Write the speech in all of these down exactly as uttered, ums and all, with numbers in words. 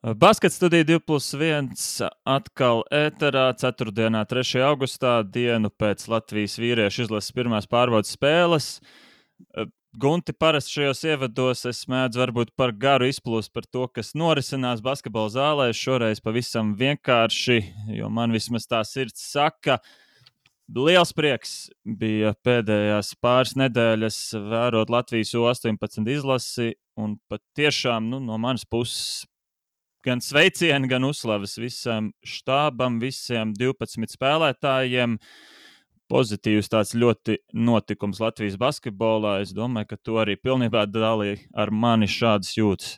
Baskets studija divi plus viens atkal ēterā ceturtdienā, trešajā augustā, dienu pēc Latvijas vīriešu izlases pirmās pārbaudes spēles. Gunti, parasti šajos ievados es mēdzu varbūt par garu izplūst par to, kas norisinās basketbola zālē. Šoreiz pavisam vienkārši, jo man vismaz tā sirds saka, liels prieks bija pēdējās pāris nedēļas vērot Latvijas U astoņpadsmit izlasi, un pat tiešām nu, no manas puses gan sveicieni, gan uzslavas visam štābam, visiem divpadsmit spēlētājiem. Pozitīvs tāds ļoti notikums Latvijas basketbolā. Es domāju, ka tu arī pilnībā dalīji ar mani šādas jūtas.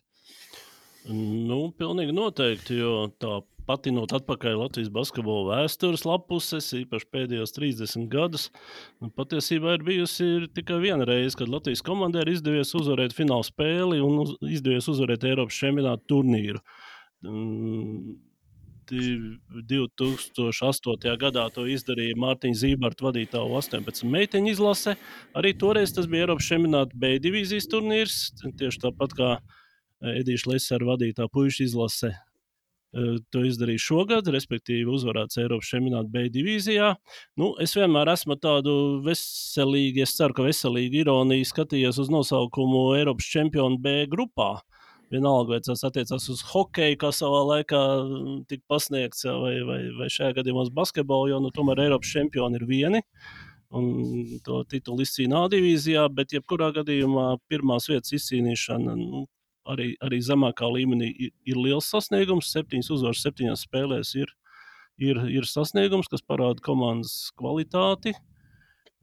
Nu, pilnīgi noteikti, jo tā patinot atpakaļ Latvijas basketbola vēstures lapuses, īpaši pēdējos trīsdesmit gadus, nu, patiesībā ir bijusi ir tikai viena reize, kad Latvijas komandai ir izdevies uzvarēt fināla spēli un uz, izdevies uzvarēt Eiropas čempionāta turnīru. divi tūkstoši astotajā gadā to izdarīja Mārtiņa Zībarta vadītā U astoņpadsmit meiteņu izlase. Arī toreiz tas bija Eiropas čempionāta B divīzijas turnīrs, tieši tāpat kā Edīša Lesera vadītā puišu izlase to izdarīja šogad, respektīvi uzvarēts Eiropas čempionāta B divīzijā. Nu, es vienmēr esmu tādu veselīgi, es ceru, ka veselīgi ironiju skatījies uz nosaukumu Eiropas čempionu B grupā. Vienalga, vai tas attiecās uz hokeju, kā savā laikā tika pasniegts, vai, vai, vai šajā gadījumā uz basketbolu, jo nu, tomēr Eiropas čempioni ir vieni, un to titulu izcīna A divīzijā, bet jebkurā gadījumā pirmās vietas izcīnīšana nu, arī, arī zemākā līmenī ir, ir liels sasniegums. Septiņas uzvaras septiņās spēlēs ir, ir, ir sasniegums, kas parāda komandas kvalitāti.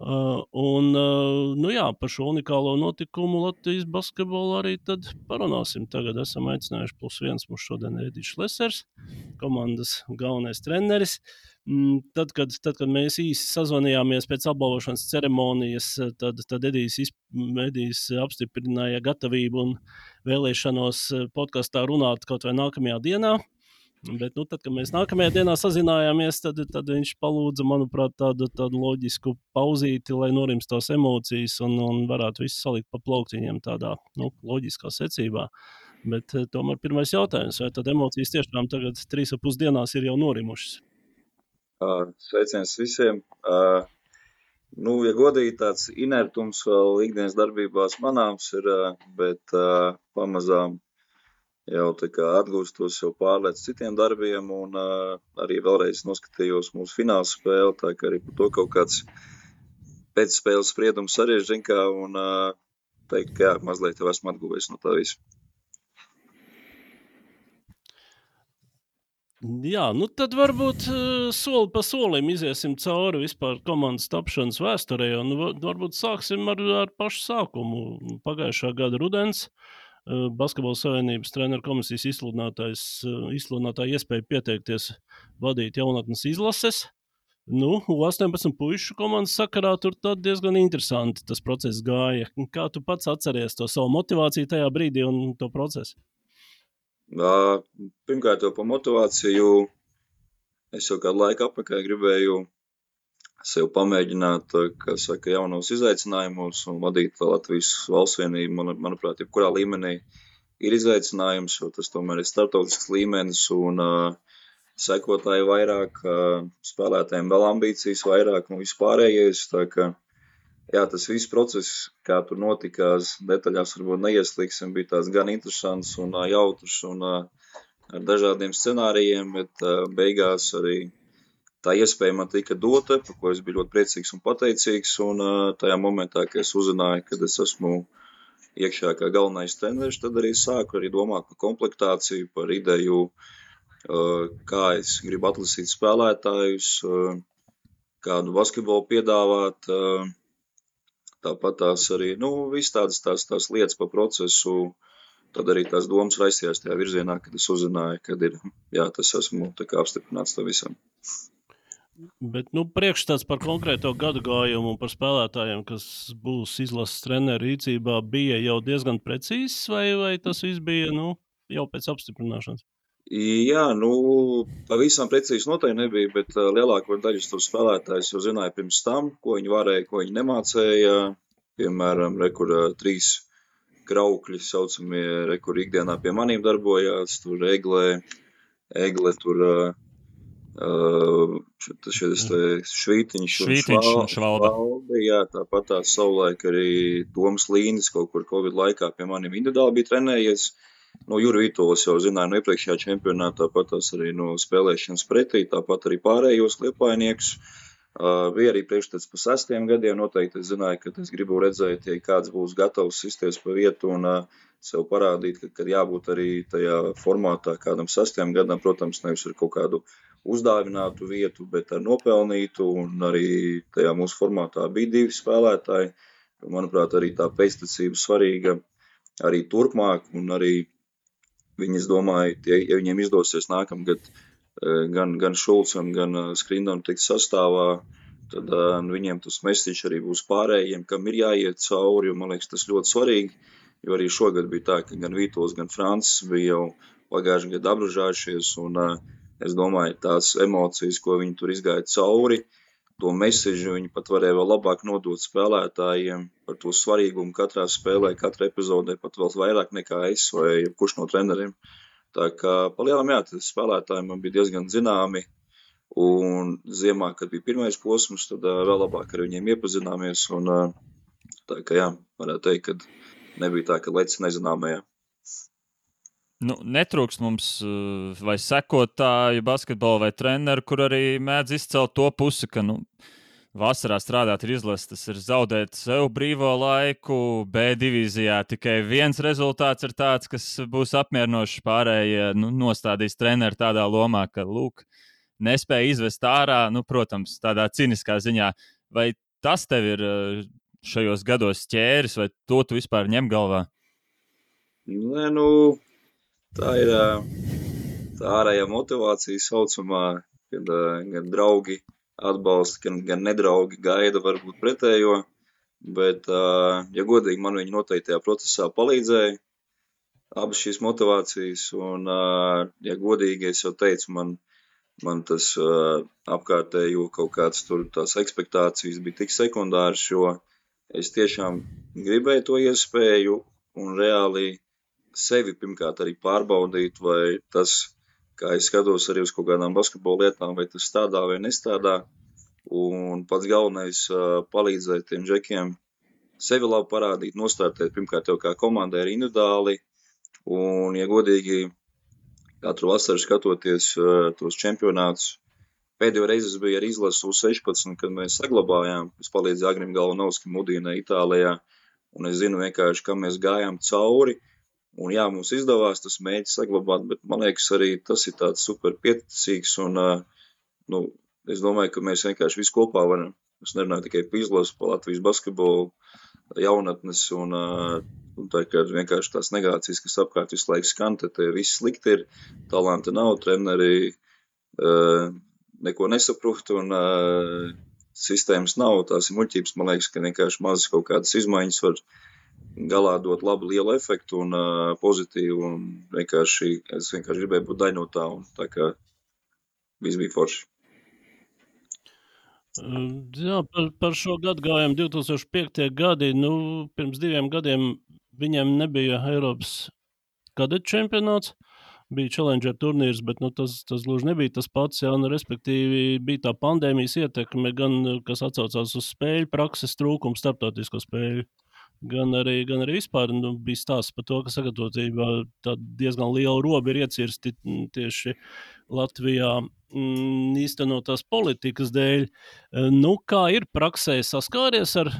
Uh, un, uh, nu jā, par šo unikālo notikumu Latvijas basketbolu arī tad parunāsim. Tagad esam aicinājuši plus viens mums šodien Edīšs Lesers, komandas galvenais treneris. Mm, tad, kad, tad, kad mēs īsi sazvanījāmies pēc apbalvošanas ceremonijas, tad, tad Edijs, Edijs apstiprināja gatavību un vēlēšanos podkastā runāt kaut vai nākamajā dienā. Bet, nu, tad, kad mēs nākamajā dienā sazinājāmies, tad, tad viņš palūdza, manuprāt, tādu, tādu loģisku pauzīti, lai norimst tās emocijas un, un varētu visu salikt pa plauktiņiem tādā nu, loģiskā secībā. Bet tomēr pirmais jautājums, vai tad emocijas tiešām tagad trīs ap pus dienās ir jau norimušas? Uh, sveiciens visiem. Uh, nu, ja godīgi tāds inertums vēl ikdienas darbībās manāms ir, uh, bet uh, pamazām jau tā kā atgūstos, jau pārlēc citiem darbiem un uh, arī vēlreiz noskatījos mūsu fināla spēli, tā kā arī par to kaut kāds pēcspēles spriedums arī ir zinkā un uh, teikt, ka jā, mazliet jau esmu atguvies no tā visu. Jā, nu tad varbūt soli pa solim iziesim cauri vispār komandas tapšanas vēsturē, un varbūt sāksim ar, ar pašu sākumu. Pagājušā gada rudens Basketbola savienības treneru komisijas izsludinātāja iespēja pieteikties vadīt jaunatnes izlases. Nu, U astoņpadsmit puišu komandas sakarā tur tad diezgan interesanti tas process gāja. Kā tu pats atceries to savu motivāciju tajā brīdī un to procesu? Uh, pirmkārt jau par motivāciju. Es jau kādu laiku apakaļ gribēju sev pamēģināt, kā saka, jaunos izaicinājumus un vadīt Latvijas valstsvienību. Man, manuprāt, jebkurā līmenī ir izaicinājums, jo tas tomēr ir starptautisks līmenis un uh, sekotāji vairāk, uh, spēlētājiem vēl ambīcijas vairāk un vispārējais. Tā ka, jā, tas viss process, kā tur notikās, detaļās varbūt neieslīgsim, bija tās gan interesants un uh, jautrs un uh, ar dažādiem scenārijiem, bet uh, beigās arī tā iespēja man tika dota, par ko es biju ļoti priecīgs un pateicīgs, un uh, tajā momentā, kad es uzzināju, kad es esmu iekšā kā galvenais treneris, tad arī sāku arī domāt par komplektāciju, par ideju, uh, kā es gribu atlasīt spēlētājus, uh, kādu basketbolu piedāvāt, uh, tāpat tās arī, nu, viss tādas tās, tās lietas par procesu, tad arī tās domas raisījās tajā virzienā, kad es uzzināju, kad ir, jā, tas esmu tā kā apstiprināts tā visam. Bet, nu, priekšstats par konkrēto gadu gājumu un par spēlētājiem, kas būs izlases treneru rīcībā, bija jau diezgan precīzs, vai, vai tas viss bija, nu, jau pēc apstiprināšanas? Jā, nu, pavisam precīzi noteikti nebija, bet uh, lielāko daļu tos spēlētājus jau zināja pirms tam, ko viņi varēja, ko viņi nemācēja. Piemēram, re, kur uh, trīs kraukļi saucamie, re, kur ikdienā pie manīm darbojās, tur Egle, Egle tur uh, šis Švītiņš un Švītiņš un Švalbe. Švalbe, jā, tāpat tās savulaik arī Toms Līnis kaut kur Covid laikā pie maniem individuāli bija trenējies. No Juri Vītolas jau zināju no iepriekšējā čempionātā, tāpat tās arī no spēlēšanas pretī, tāpat arī pārējos liepājniekus. Uh, bija arī priekšstats pa sestiem gadiem, noteikti es zināju, ka es gribu redzēt, ja kāds būs gatavs sisties pa vietu un uh, sev parādīt, ka, ka jābūt arī tajā formātā kādam sestiem gadam, protams, nevis ar kaut kādu uzdāvinātu vietu, bet ar nopelnītu, un arī tajā mūsu formātā bija divi spēlētāji. Manuprāt, arī tā pēctecība svarīga arī turpmāk, un arī viņi, es domāju, tie, ja viņiem izdosies nākamgad gan, gan Šulcam, gan Skrindam tikt sastāvā, tad uh, viņiem tas mesiķis arī būs pārējiem, kam ir jāiet cauri, un man liekas, tas ļoti svarīgi, jo arī šogad bija tā, ka gan Vītols, gan Francis bija jau pagājušajā gadā apdražājušies, un uh, es domāju, tās emocijas, ko viņi tur izgāja cauri, to mesiģu viņi pat varēja vēl labāk nodot spēlētājiem par to svarīgumu katrā spēlē, katrā epizodē, pat vēl vairāk nekā es vai kurš no treneriem. Tā kā palielam, jā, tas spēlētāji man bija diezgan zināmi, un ziemā, kad bija pirmais posms, tad uh, vēl labāk ar viņiem iepazināmies, un uh, tā kā jā, varētu teikt, ka nebija tā, ka lec nezināmajā. Nu, netrūkst mums vai sekotāju basketbolu vai treneru, kur arī mēdz izcelt to pusi, ka nu, vasarā strādāt ir izlases, tas ir zaudēt sev brīvo laiku, B divīzijā tikai viens rezultāts ir tāds, kas būs apmierinošs, pārējie nu, nostādīs treneru tādā lomā, ka, lūk, nespēja izvest ārā, nu, protams, tādā ciniskā ziņā. Vai tas tev ir šajos gados ķēris, vai to tu vispār ņem galvā? Nē, nu... Tā ir tā ārējā motivācija saucamā, kad gan draugi atbalsta, gan, gan nedraugi gaida varbūt pretējo, bet, ja godīgi, man viņi noteikti tajā procesā palīdzēja, abas šīs motivācijas, un, ja godīgi, es jau teicu, man, man tas apkārtējo kaut kāds tur tās ekspektācijas bija tik sekundārs, jo es tiešām gribēju to iespēju un reāli sevi pirmkārt arī pārbaudīt, vai tas, kā es skatos arī uz kaut kādām basketbola lietām, vai tas strādā vai nestrādā. Un pats galvenais palīdzēt tiem džekiem sevi labi parādīt, nostārtēt pirmkārt jau kā komandai arī individuāli. Un, ja godīgi, katru vasaru skatoties tos čempionātus, pēdējo reizi bija arī izlases U sešpadsmit, kad mēs saglabājām, es palīdzēju Agrim Galvanovskim Udīnē Itālijā, un es zinu vienkārši, kam mēs gājām cauri. Un jā, mums izdevās tas mēģis saglabāt, bet man liekas arī tas ir tāds super pieticīgs un, nu, es domāju, ka mēs vienkārši visu kopā varam. Es nerunāju tikai par izlasu, par Latvijas basketbolu, jaunatnes un, un tā kā vienkārši tās negācijas, kas apkārt visu laiku skan, te viss slikti ir, talanti nav, treneri uh, neko nesaprot un uh, sistēmas nav, tās ir muļķības, man liekas, ka vienkārši mazas kaut kādas izmaiņas var galā dot labu lielu efektu un uh, pozitīvu, un vienkārši, es vienkārši gribēju būt daļa no tā, un tā kā viss bija forši. Jā, par, par šo gadu gājumu divi tūkstoši piektie gadi, nu, pirms diviem gadiem viņiem nebija Eiropas kadetu čempionāts, bija Challenger turnīrs, bet nu, tas, tas gluži nebija tas pats, jā, nu, respektīvi bija tā pandēmijas ietekme, gan, kas atsaucās uz spēļu prakses trūkumu, starptautisko spēļu. Gan arī, gan arī vispār nu, bija stāsts par to, ka sagatavotība diezgan liela roba ir iecirsti tieši Latvijā mm, īstenotās politikas dēļ. Nu, kā ir praksē saskāries ar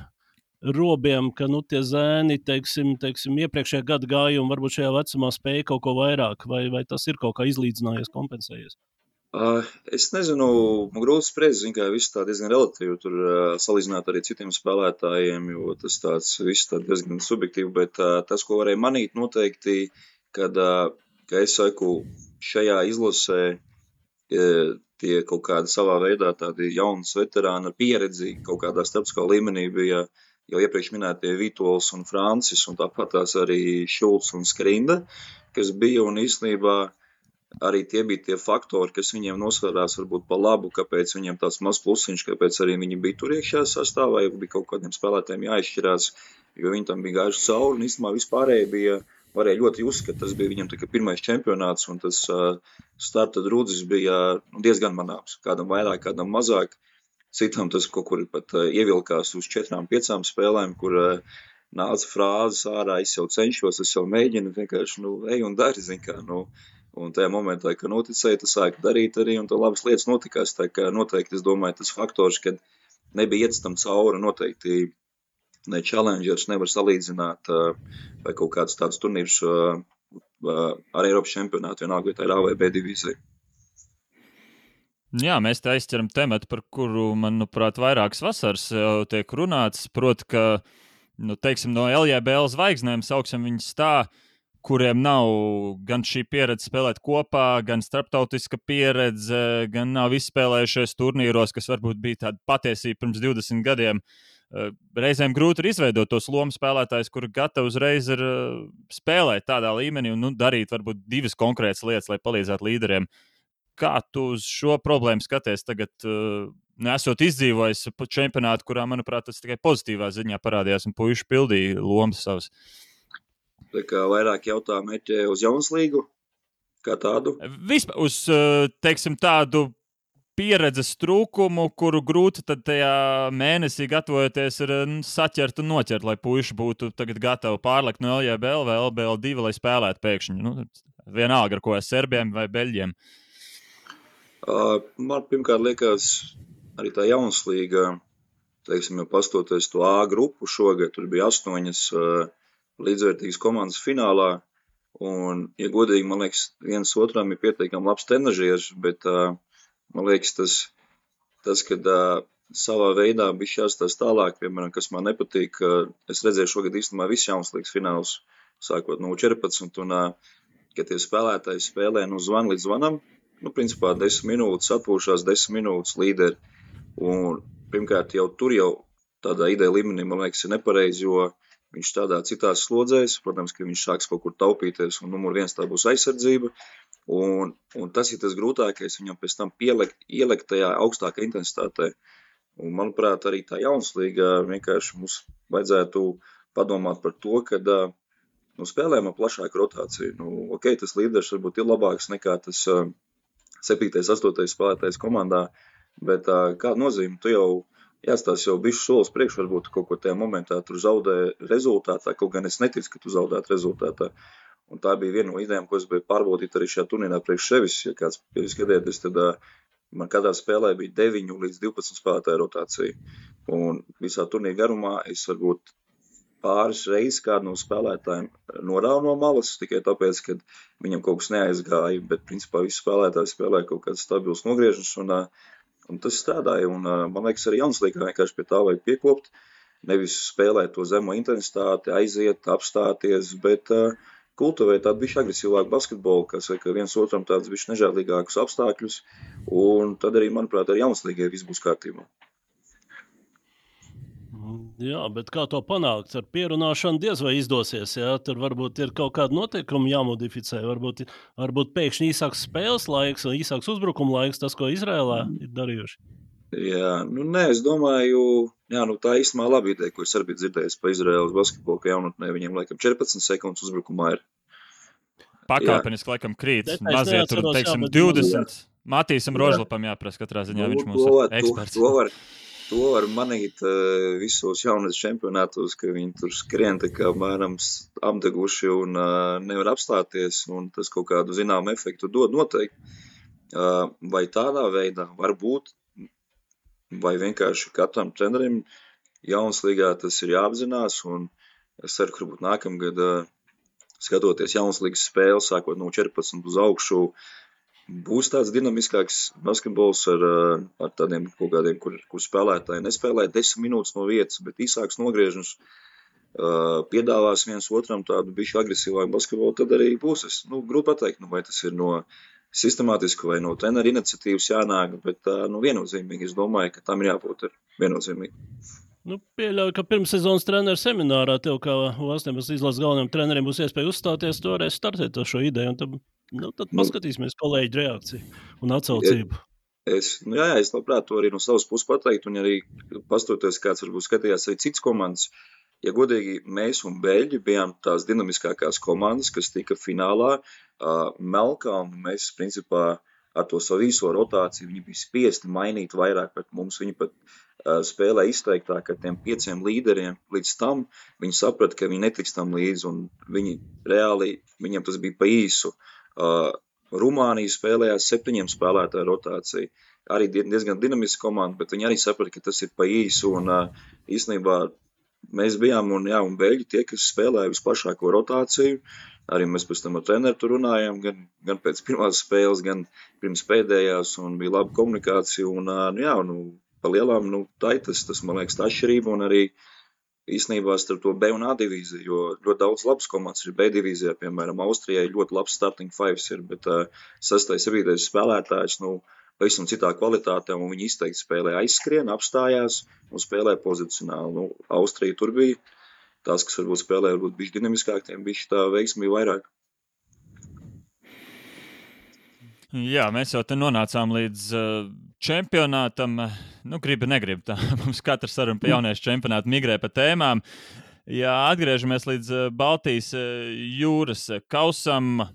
robiem, ka nu, tie zēni, teiksim, teiksim, iepriekšējā gada gājumi varbūt šajā vecumā spēja kaut ko vairāk, vai, vai tas ir kaut kā izlīdzinājies, kompensējies? Uh, es nezinu, man grūti spriest, zin, kā viss tā diezgan relatīvi tur uh, salīdzināt arī citiem spēlētājiem, jo tas tāds viss tā diezgan subjektīvi, bet uh, tas, ko varēja manīt noteikti, kad, uh, ka es saku, šajā izlasē uh, tie kaut kādi savā veidā tādi jaunas veterāni ar pieredzi kaut kādā starptautiskā līmenī bija jau iepriekš minētie Vītols un Francis, un tāpat tās arī Šulcs un Skrinda, kas bija un īstenībā arī tie bija tie faktori, kas viņiem nosvērās varbūt pa labu, kāpēc viņiem tāds maz plusiņš, kāpēc arī viņi bija tur iekšā sastāvā, ja bija kaut kādiem spēlētājiem jāizšķirās. jo viņi tam bija gājuši cauri, un īstenībā vispārēji bija, varēja ļoti just, ka tas bija viņam tikai pirmais čempionāts, un tas uh, starta drudzis bija nu, diezgan manāms, kādam vairāk, kādam mazāk, citam tas kaut kur pat uh, ievilkās uz četrām, piecām spēlēm, kur uh, nāca frāzes ārā, es jau cenšos, es jau mēģinu, vienkārši, nu, ej un dari, zin kā, nu, un tajā momentā, ka noticēja, tas sāka darīt arī, un tā labas lietas notikās, tā kā noteikti, es domāju, tas faktors, kad nebija iets tam cauri, noteikti ne challengers nevar salīdzināt vai kaut kāds tāds turnīrs ar Eiropas čempionātu, vienalga, vai tā ir A vai B divīzija. Jā, mēs te aizķeram tematu, par kuru, manuprāt, vairākas vasaras jau tiek runāts, proti, ka, nu, teiksim, no L J B L zvaigznēm sauksim viņus tā, kuriem nav gan šī pieredze spēlēt kopā, gan starptautiska pieredze, gan nav izspēlējušies turnīros, kas varbūt bija tāda patiesība pirms divdesmit gadiem. Reizēm grūti ir izveidot tos lomu spēlētājus, kuri gatavi uzreiz ir spēlēt tādā līmenī un nu, darīt varbūt divas konkrētas lietas, lai palīdzētu līderiem. Kā tu uz šo problēmu skaties tagad, nesot izdzīvojis čempionātu, kurā, manuprāt, tas tikai pozitīvā ziņā parādījās un puiši pildīja lomas savas? Tā kā vairāk jautā meķē uz Jaunslīgu, kā tādu? Vispār uz, teiksim, tādu pieredzes trūkumu, kuru grūti tad tajā mēnesī gatavojoties ir saķert un noķert, lai puiši būtu tagad gatavi pārlekt no L J B L vai L B L divi, lai spēlētu pēkšņi. Nu, vienalga ar ko ar serbiem vai beļģiem. Uh, man pirmkārt liekas, arī tā Jaunslīga, teiksim, jau pastoties to A grupu šogad, tur bija astoņas uh, līdzvērtīgas komandas finālā, un, ja godīgi, man liekas, viens otram ir pietiekami labs trenažieris, bet uh, man liekas, tas, tas kad uh, savā veidā bija jāstās tālāk, piemēram, kas man nepatīk, uh, es redzēju šogad īstenībā visu Jaunslīgas finālus, sākot no četrpadsmit, un, uh, kad tie spēlētāji spēlē no zvana līdz zvanam, nu, principā desmit minūtes, atpūšās desmit minūtes līderi, un pirmkārt jau tur jau tādā ideja līmenī, man liekas, ir nepareizi, jo viņš tādā citās slodzēs, protams, ka viņš sāks kaut kur taupīties, un numur viens tā būs aizsardzība, un, un tas ir tas grūtākais, viņam pēc tam pielikt, ielikt tajā augstākā intensitātē. Un, manuprāt, arī tā Jaunslīga vienkārši mums vajadzētu padomāt par to, ka nu, spēlējam ar plašāku rotāciju. Nu, ok, tas līderis varbūt ir labāks nekā tas uh, septītais, astotais spēlētājs komandā, bet uh, kāda nozīme, tu jau jāstās jau bišķi solis priekš, varbūt kaut ko tajā momentā tur zaudē rezultātā, kaut gan es neticu, ka tu zaudētu rezultātā. Un tā bija viena no idejām, ko es biju pārbaudīt arī šajā turnīrā priekš sevis. Ja kāds skatieties, tad uh, man katrā spēlē bija deviņu līdz divpadsmit spēlētāju rotācija. Un visā turnīra garumā es varbūt pāris reizes kādu no spēlētājiem norāvu no malas, tikai tāpēc, ka viņam kaut kas neaizgāja, bet principā visi spēlētāji spēlēja kaut kāds stabils nogriežums un uh, Un tas strādāja, un man liekas, arī Jaunslīgā vienkārši pie tā vajag piekopt, nevis spēlēt to zemo intensitāti, aiziet, apstāties, bet uh, kultivēt tādu bišķi agresīvāku basketbolu, kas saka viens otram tādus bišķi nežēlīgākus apstākļus, un tad arī, manuprāt, arī Jaunslīgai viss būs kārtībā. Jā, bet kā to panākt? Ar pierunāšanu diez vai izdosies, jā? Tur varbūt ir kaut kāda noteikuma jāmodificē, varbūt, varbūt pēkšņi īsāks spēles laiks un īsāks uzbrukuma laiks, tas, ko Izrēlā ir darījuši. Jā, nu nē, es domāju, jā, nu tā īstenībā laba ideja, ko es arī biju dzirdējis pa Izrēlas basketbolu, ka jaunatnē viņiem laikam četrpadsmit sekundes uzbrukumā ir. Pakāpeniski laikam krīt, Bet mazie tur, teiksim, jā, divdesmit. Matīsam Rožlapam jāprasa katrā ziņā, nu, viņš mūsu to, eksperts. To, to var... To var manīt uh, visos jaunas čempionātos, ka viņi tur skrien tā kā mēram apdeguši un uh, nevar apstāties, un tas kaut kādu zināmu efektu dod noteikti. Uh, vai tādā veidā var būt, vai vienkārši katram trenerim Jaunslīgā tas ir jāapzinās, un es ceru, ka varbūt nākamgad uh, skatoties Jaunslīgas spēles, sākot no četrpadsmit uz augšu, būs tāds dinamiskāks basketbols ar, ar tādiem kaut kādiem, kur, kur spēlētāji nespēlē desmit minūtes no vietas, bet īsāks nogriežums, uh, piedāvās viens otram tādu bišķi agresīvāku basketbolu, tad arī būs. Es, nu, grūti pateikt, nu, vai tas ir no sistemātiski vai no treneru iniciatīvas jānāk, bet uh, nu, viennozīmīgi es domāju, ka tam ir jābūt ir viennozīmīgi. Nu, pieļauju, ka pirmssezonas treneru seminārā tev kā U astoņpadsmit izlases galvenajam trenerim būs iespēja uzstāties, tu varēsi startēt to šo ideju, un tad, nu, tad paskatīsimies kolēģu reakciju un atsaucību. Es, nu, jā, jā, es labprāt to arī no savas puses pateikt, un arī pastoties kāds varbūt skatījās arī cits komandas, ja godīgi, mēs un Beļģi bijām tās dinamiskākās komandas, kas tika finālā. Uh, Melkalnu mēs, principā, ar to savu īso rotāciju, viņi bija spiesti mainīt vairāk pret mums. Viņi pat uh, spēlē izteiktāk ar tiem pieciem līderiem. Līdz tam viņi saprata, ka viņi netiks tam līdzi, un viņi reāli, viņiem tas bija pa īsu. Uh, Rumānija spēlējās septiņiem spēlētāju rotāciju. Arī diezgan dinamiska komanda, bet viņi arī saprata, ka tas ir pa īsu, un uh, īstenībā mēs bijām, un, jā, un Beļģi tie, kas spēlēja visplašāko rotāciju. Arī mēs pēc tam ar treneru tur runājām, gan, gan pēc pirmās spēles, gan pirms pēdējās, un bija laba komunikācija, un, uh, jā, nu, pa lielām, nu, tā ir tas, tas, man liekas, tā atšķirība, un arī īstenībā starp to B un A divīziju, jo ļoti daudz labas komandas ir B divīzijā, piemēram, Austrijai ļoti labs starting fives ir, bet uh, sastais, septītais spēlētājs, nu, pavisam citā kvalitātē, un viņi izteikti spēlē aizskrien, apstājās un spēlē pozicionāli. Nu, Austrija tur bija tās, kas varbūt spēlē, varbūt bišķi dinamiskāk, tiem bišķi tā veiksmi vairāk. Jā, mēs jau te nonācām līdz uh, čempionātam. Nu, gribi, negribi. Tā. Mums katrs saruna pa jauniešu čempionātu migrē pa tēmām. Jā, atgriežamies līdz uh, Baltijas uh, jūras kausam,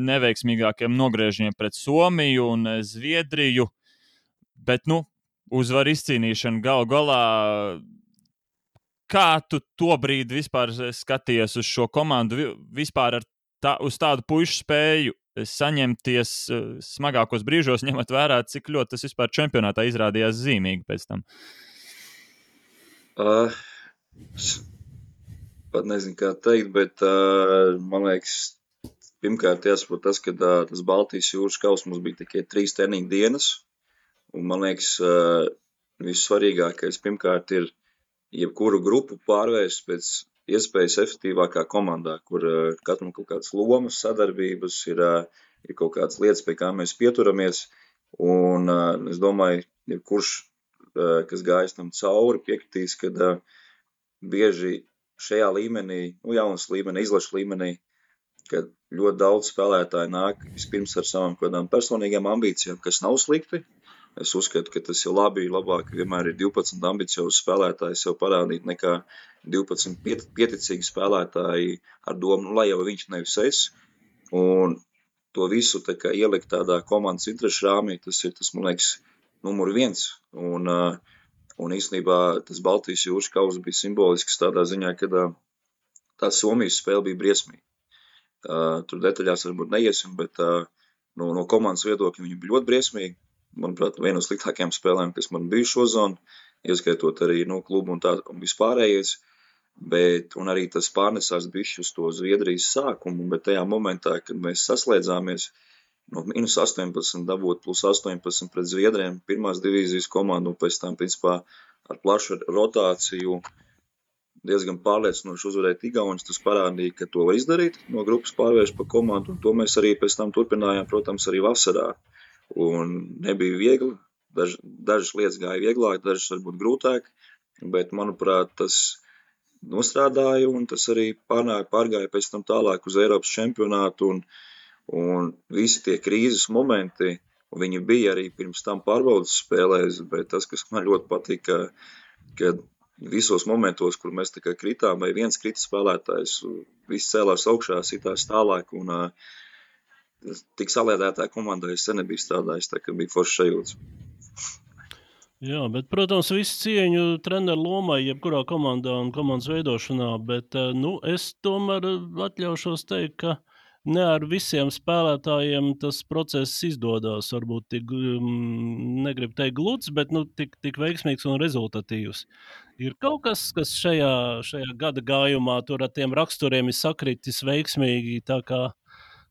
neveiksmīgākiem nogriežņiem pret Somiju un uh, Zviedriju. Bet, nu, uzvaru izcīnīšana gal galā. Kā tu tobrīd vispār skaties uz šo komandu, vispār ar tā, uz tādu puišu spēju saņemties smagākos brīžos, ņemot vērā, cik ļoti tas vispār čempionātā izrādījās zīmīgi pēc tam? Uh, pat nezinu, kā teikt, bet uh, man liekas, pirmkārt jāsaprot tas, ka uh, tas Baltijas jūras kaus mums bija tikai trīs treniņu dienas, un man liekas, uh, vissvarīgākais pirmkārt ir jebkuru grupu pārvērst pēc iespējas efektīvākā komandā, kur uh, katram kaut kādas lomas, sadarbības, ir, uh, ir kaut kādas lietas, pie kā mēs pieturamies. Un uh, es domāju, jebkurš, uh, kas gājis tam cauri, piekritīs, ka uh, bieži šajā līmenī, nu jaunas līmenī, izlašu līmenī, kad ļoti daudz spēlētāji nāk vispirms ar savām kādām personīgām ambīcijām, kas nav slikti. Es uzskatu, ka tas ir labi, labāk vienmēr ir divpadsmit ambiciozi spēlētāji sev parādīt nekā divpadsmit piet, pieticīgi spēlētāji ar domu, nu, lai jau viņš nevis es. Un to visu tā kā ielikt tādā komandas interešu rāmī, tas ir, tas, man liekas, numur viens. Un, un īstenībā tas Baltijas jūras kaus bija simbolisks tādā ziņā, kad tā Somijas spēle bija briesmīga. Tur detaļās varbūt neiesim, bet no, no komandas viedokļa viņi bija ļoti briesmīgi. Manuprāt, viena no sliktākajām spēlēm, kas man bija šo zonu, ieskaitot arī no klubu un tā un vispārējais, bet, un arī tas pārnesās bišķi uz to Zviedrijas sākumu, bet tajā momentā, kad mēs saslēdzāmies, no mīnus astoņpadsmit dabūt plus astoņpadsmit pret Zviedriem, pirmās divīzijas komandu, un pēc tam, principā, ar plašu rotāciju diezgan pārliecinoši uzvarēt Igauņus, tas parādīja, ka to var izdarīt, no grupas pārvērst pa komandu, un to mēs arī pēc tam turpinājām, protams, arī vasarā. Un nebija viegli, Daž, dažas lietas gāja vieglāk, dažas varbūt grūtāk, bet, manuprāt, tas nostrādāja un tas arī pārnāja, pārgāja pēc tam tālāk uz Eiropas čempionātu un, un visi tie krīzes momenti, un viņi bija arī pirms tam pārbaudas spēlēs, bet tas, kas man ļoti patika, ka visos momentos, kur mēs tā kā kritām, vai viens krita spēlētājs, viss cēlās augšā, sitās tālāk un uh, tik saliedētā komandā es sen nebiju strādājis, tā kā bija foršs sajūts. Jā, bet, protams, visu cieņu treneru lomai, jebkurā komandā un komandas veidošanā, bet, nu, es tomēr atļaušos teikt, ka ne ar visiem spēlētājiem tas process izdodās, varbūt tik, negribu teikt gluds, bet, nu, tik, tik veiksmīgs un rezultatīvs. Ir kaut kas, kas šajā, šajā gada gājumā tur ar tiem raksturiem ir sakritis veiksmīgi, tā kā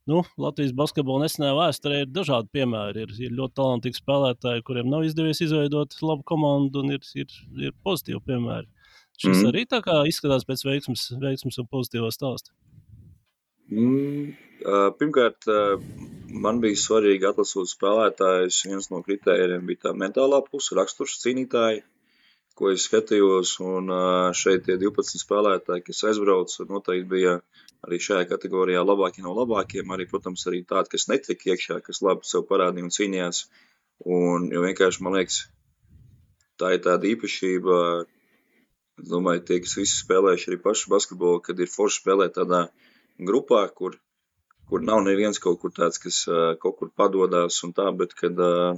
Nu, Latvijas basketbola nesenajā vēsturē ir dažādi piemēri. Ir, ir ļoti talantīgi spēlētāji, kuriem nav izdevies izveidot labu komandu, un ir, ir, ir pozitīvi piemēri. Šis mm. arī tā kā izskatās pēc veiksmes, veiksmes un pozitīvā stāsta. Mm, pirmkārt, man bija svarīgi atlasot spēlētājus. Viens no kritērijiem bija tā mentālā puse, raksturs cīnītāji, ko es skatījos. Un šeit tie divpadsmit spēlētāji, kas aizbrauca, noteikti bija arī šajā kategorijā labākie no labākiem, arī, protams, arī tādi, kas netika iekšā, kas labi sev parādīja un cīnījās. Un, jo vienkārši, man liekas, tā ir tāda īpašība Es domāju, tie, kas visi spēlējuši arī pašu basketbolu, kad ir forši spēlēt tādā grupā, kur, kur nav neviens kaut kur tāds, kas uh, kaut kur padodās un tā, bet kad, uh,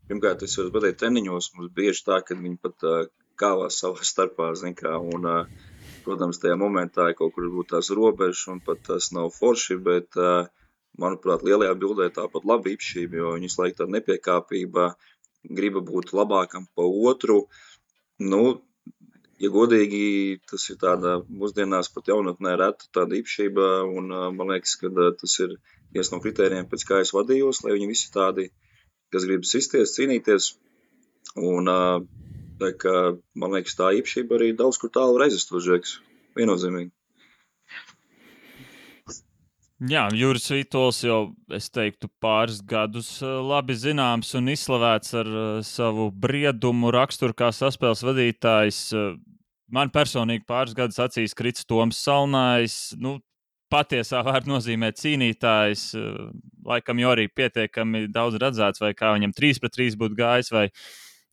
pirmkārt, es varu pateikt, treniņos mums bieži tā, kad viņi pat uh, kāvās savā starpā, zin kā, un, uh, protams, tajā momentā kaut kur būtu tās robežas un pat tas nav forši, bet, uh, manuprāt, lielajā bildē tāpat laba īpašība, jo viņi laik tāda nepiekāpība, griba būt labākam pa otru. Nu, ja godīgi, tas ir tāda mūsdienās pat jaunatnē reta tāda īpašība, un uh, man liekas, ka uh, tas ir viens no kritērijiem, pēc kā es vadījos, lai viņi visi tādi, kas grib sisties, cīnīties, un uh, tā kā, man liekas, tā īpašība arī daudz kur tālu var aizvest uz žeks. Viennozīmīgi. Jā, Juris Vītols jau, es teiktu, pāris gadus labi zināms un izslavēts ar savu briedumu raksturu kā saspēles vadītājs. Man personīgi pāris gadus acīs krits Toms Salnājs, nu, patiesā vārda nozīmē cīnītājs, laikam jau arī pietiekami daudz redzēts, vai kā viņam trīs pret trīs būtu gājis, vai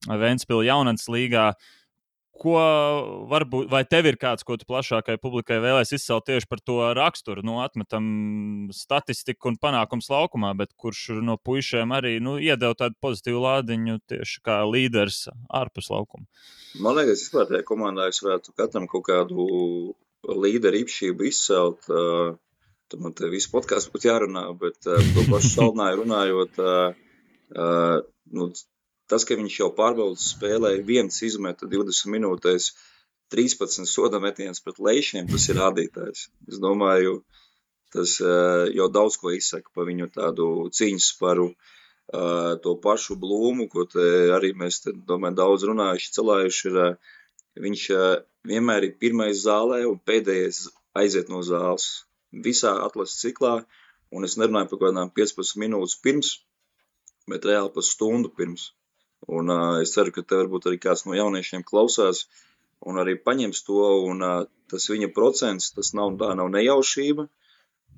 Ventspils jaunatnes līgā. Ko varbūt, vai tev ir kāds, ko tu plašākai publikai vēlēs izcelt tieši par to raksturu? Nu, atmetam statistiku un panākums laukumā, bet kurš no puišiem arī nu, iedeva tādu pozitīvu lādiņu tieši kā līderis ārpus laukuma? Man liekas, vispār tajā komandā es varētu katram kaut kādu līderu īpašību izcelt. Uh, tad man te visu podkāstu būtu jārunā, bet uh, to pašu Salnāju runājot, uh, uh, nu, tas, ka viņš jau pārbaudas spēlēja viens izmeta divdesmit minūtēs trīspadsmit soda metienus pret Leišiem, tas ir rādītājs. Es domāju, tas uh, jau daudz ko izsaka par viņu tādu cīņasparu, uh, to pašu Blūmu, ko te arī mēs, te, domāju, daudz runājuši, celājuši. Ir, uh, viņš uh, vienmēr ir pirmais zālē un pēdējais aiziet no zāles. Visā atlases ciklā, un es nerunāju par kādām piecpadsmit minūtes pirms, bet reāli par stundu pirms. Un uh, es ceru, ka te varbūt arī kāds no jauniešiem klausās un arī paņems to, un uh, tas viņa procents, tas nav, tā nav nejaušība,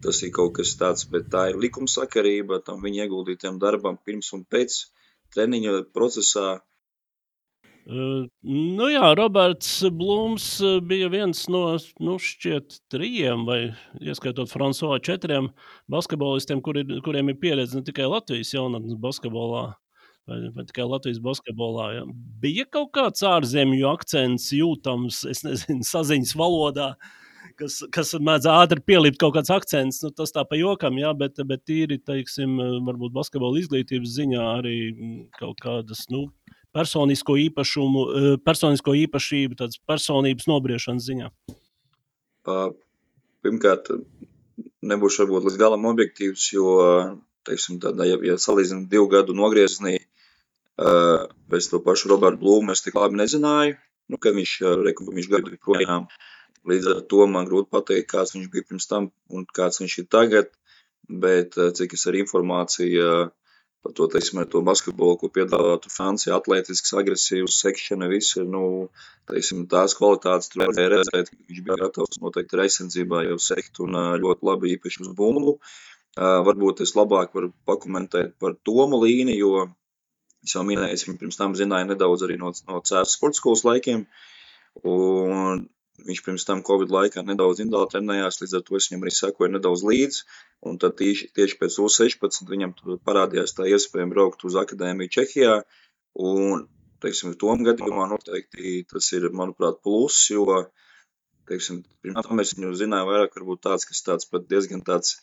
tas ir kaut kas tāds, bet tā ir likumsakarība, tam viņa ieguldītiem darbam pirms un pēc treniņa procesā. Uh, nu jā, Roberts Blūms bija viens no, nu, šķiet trījiem vai, ieskaitot Fransuā, četriem basketbolistiem, kuri, kuriem ir pieredze ne tikai Latvijas jaunatnes basketbolā, Vai, vai tikai Latvijas basketbolā. Ja. Bija kaut kāds ārzemju akcents jūtams, es nezinu, saziņas valodā, kas, kas mēdz ātri pielikt kaut kāds akcents, nu, tas tā pa jokam, ja, bet, bet tīri, teiksim, varbūt basketbola izglītības ziņā arī kaut kādas, nu, personisko īpašumu, personisko īpašību, tādas personības nobriešanas ziņā. Pirmkārt, nebūšu varbūt līdz galam objektīvs, jo, teiksim, tādā, ja, ja salīdzinām divu gadu nogrieznī, Uh, pēc to pašu Robertu Blūmu es tik labi nezināju, nu, kad viņš, reku, viņš gadu projām. Līdz ar to man grūti pateikt, kāds viņš bija pirms tam un kāds viņš ir tagad, bet cik es ar informāciju par to, teiksim, ar to basketbolu, ko piedāvātu Francija, atletisks, agresīvs, sekšana, viss ir, nu, teiksim, tās kvalitātes tur varēja redzēt, ka viņš bija gatavs noteikti ar aizsardzībā jau sekt un ļoti labi īpaši uz bumbu. Uh, varbūt es labāk varu pakomentēt par Tomu līni, jo es jau minēju, es viņu pirms tam zināju nedaudz arī no, no Cēzas sporta skolas laikiem, un viņš pirms tam Covid laikā nedaudz individuāli trenējās, līdz ar to es viņam arī sekoju nedaudz līdz, un tad tieši, tieši pēc U sešpadsmit viņam parādījās tā iespēja braukt uz akadēmiju Čehijā, un, teiksim, tom gadījumā noteikti tas ir, manuprāt, plus, jo, teiksim, pirms tam es viņu zināju vairāk, varbūt tāds, kas tāds pat diezgan tāds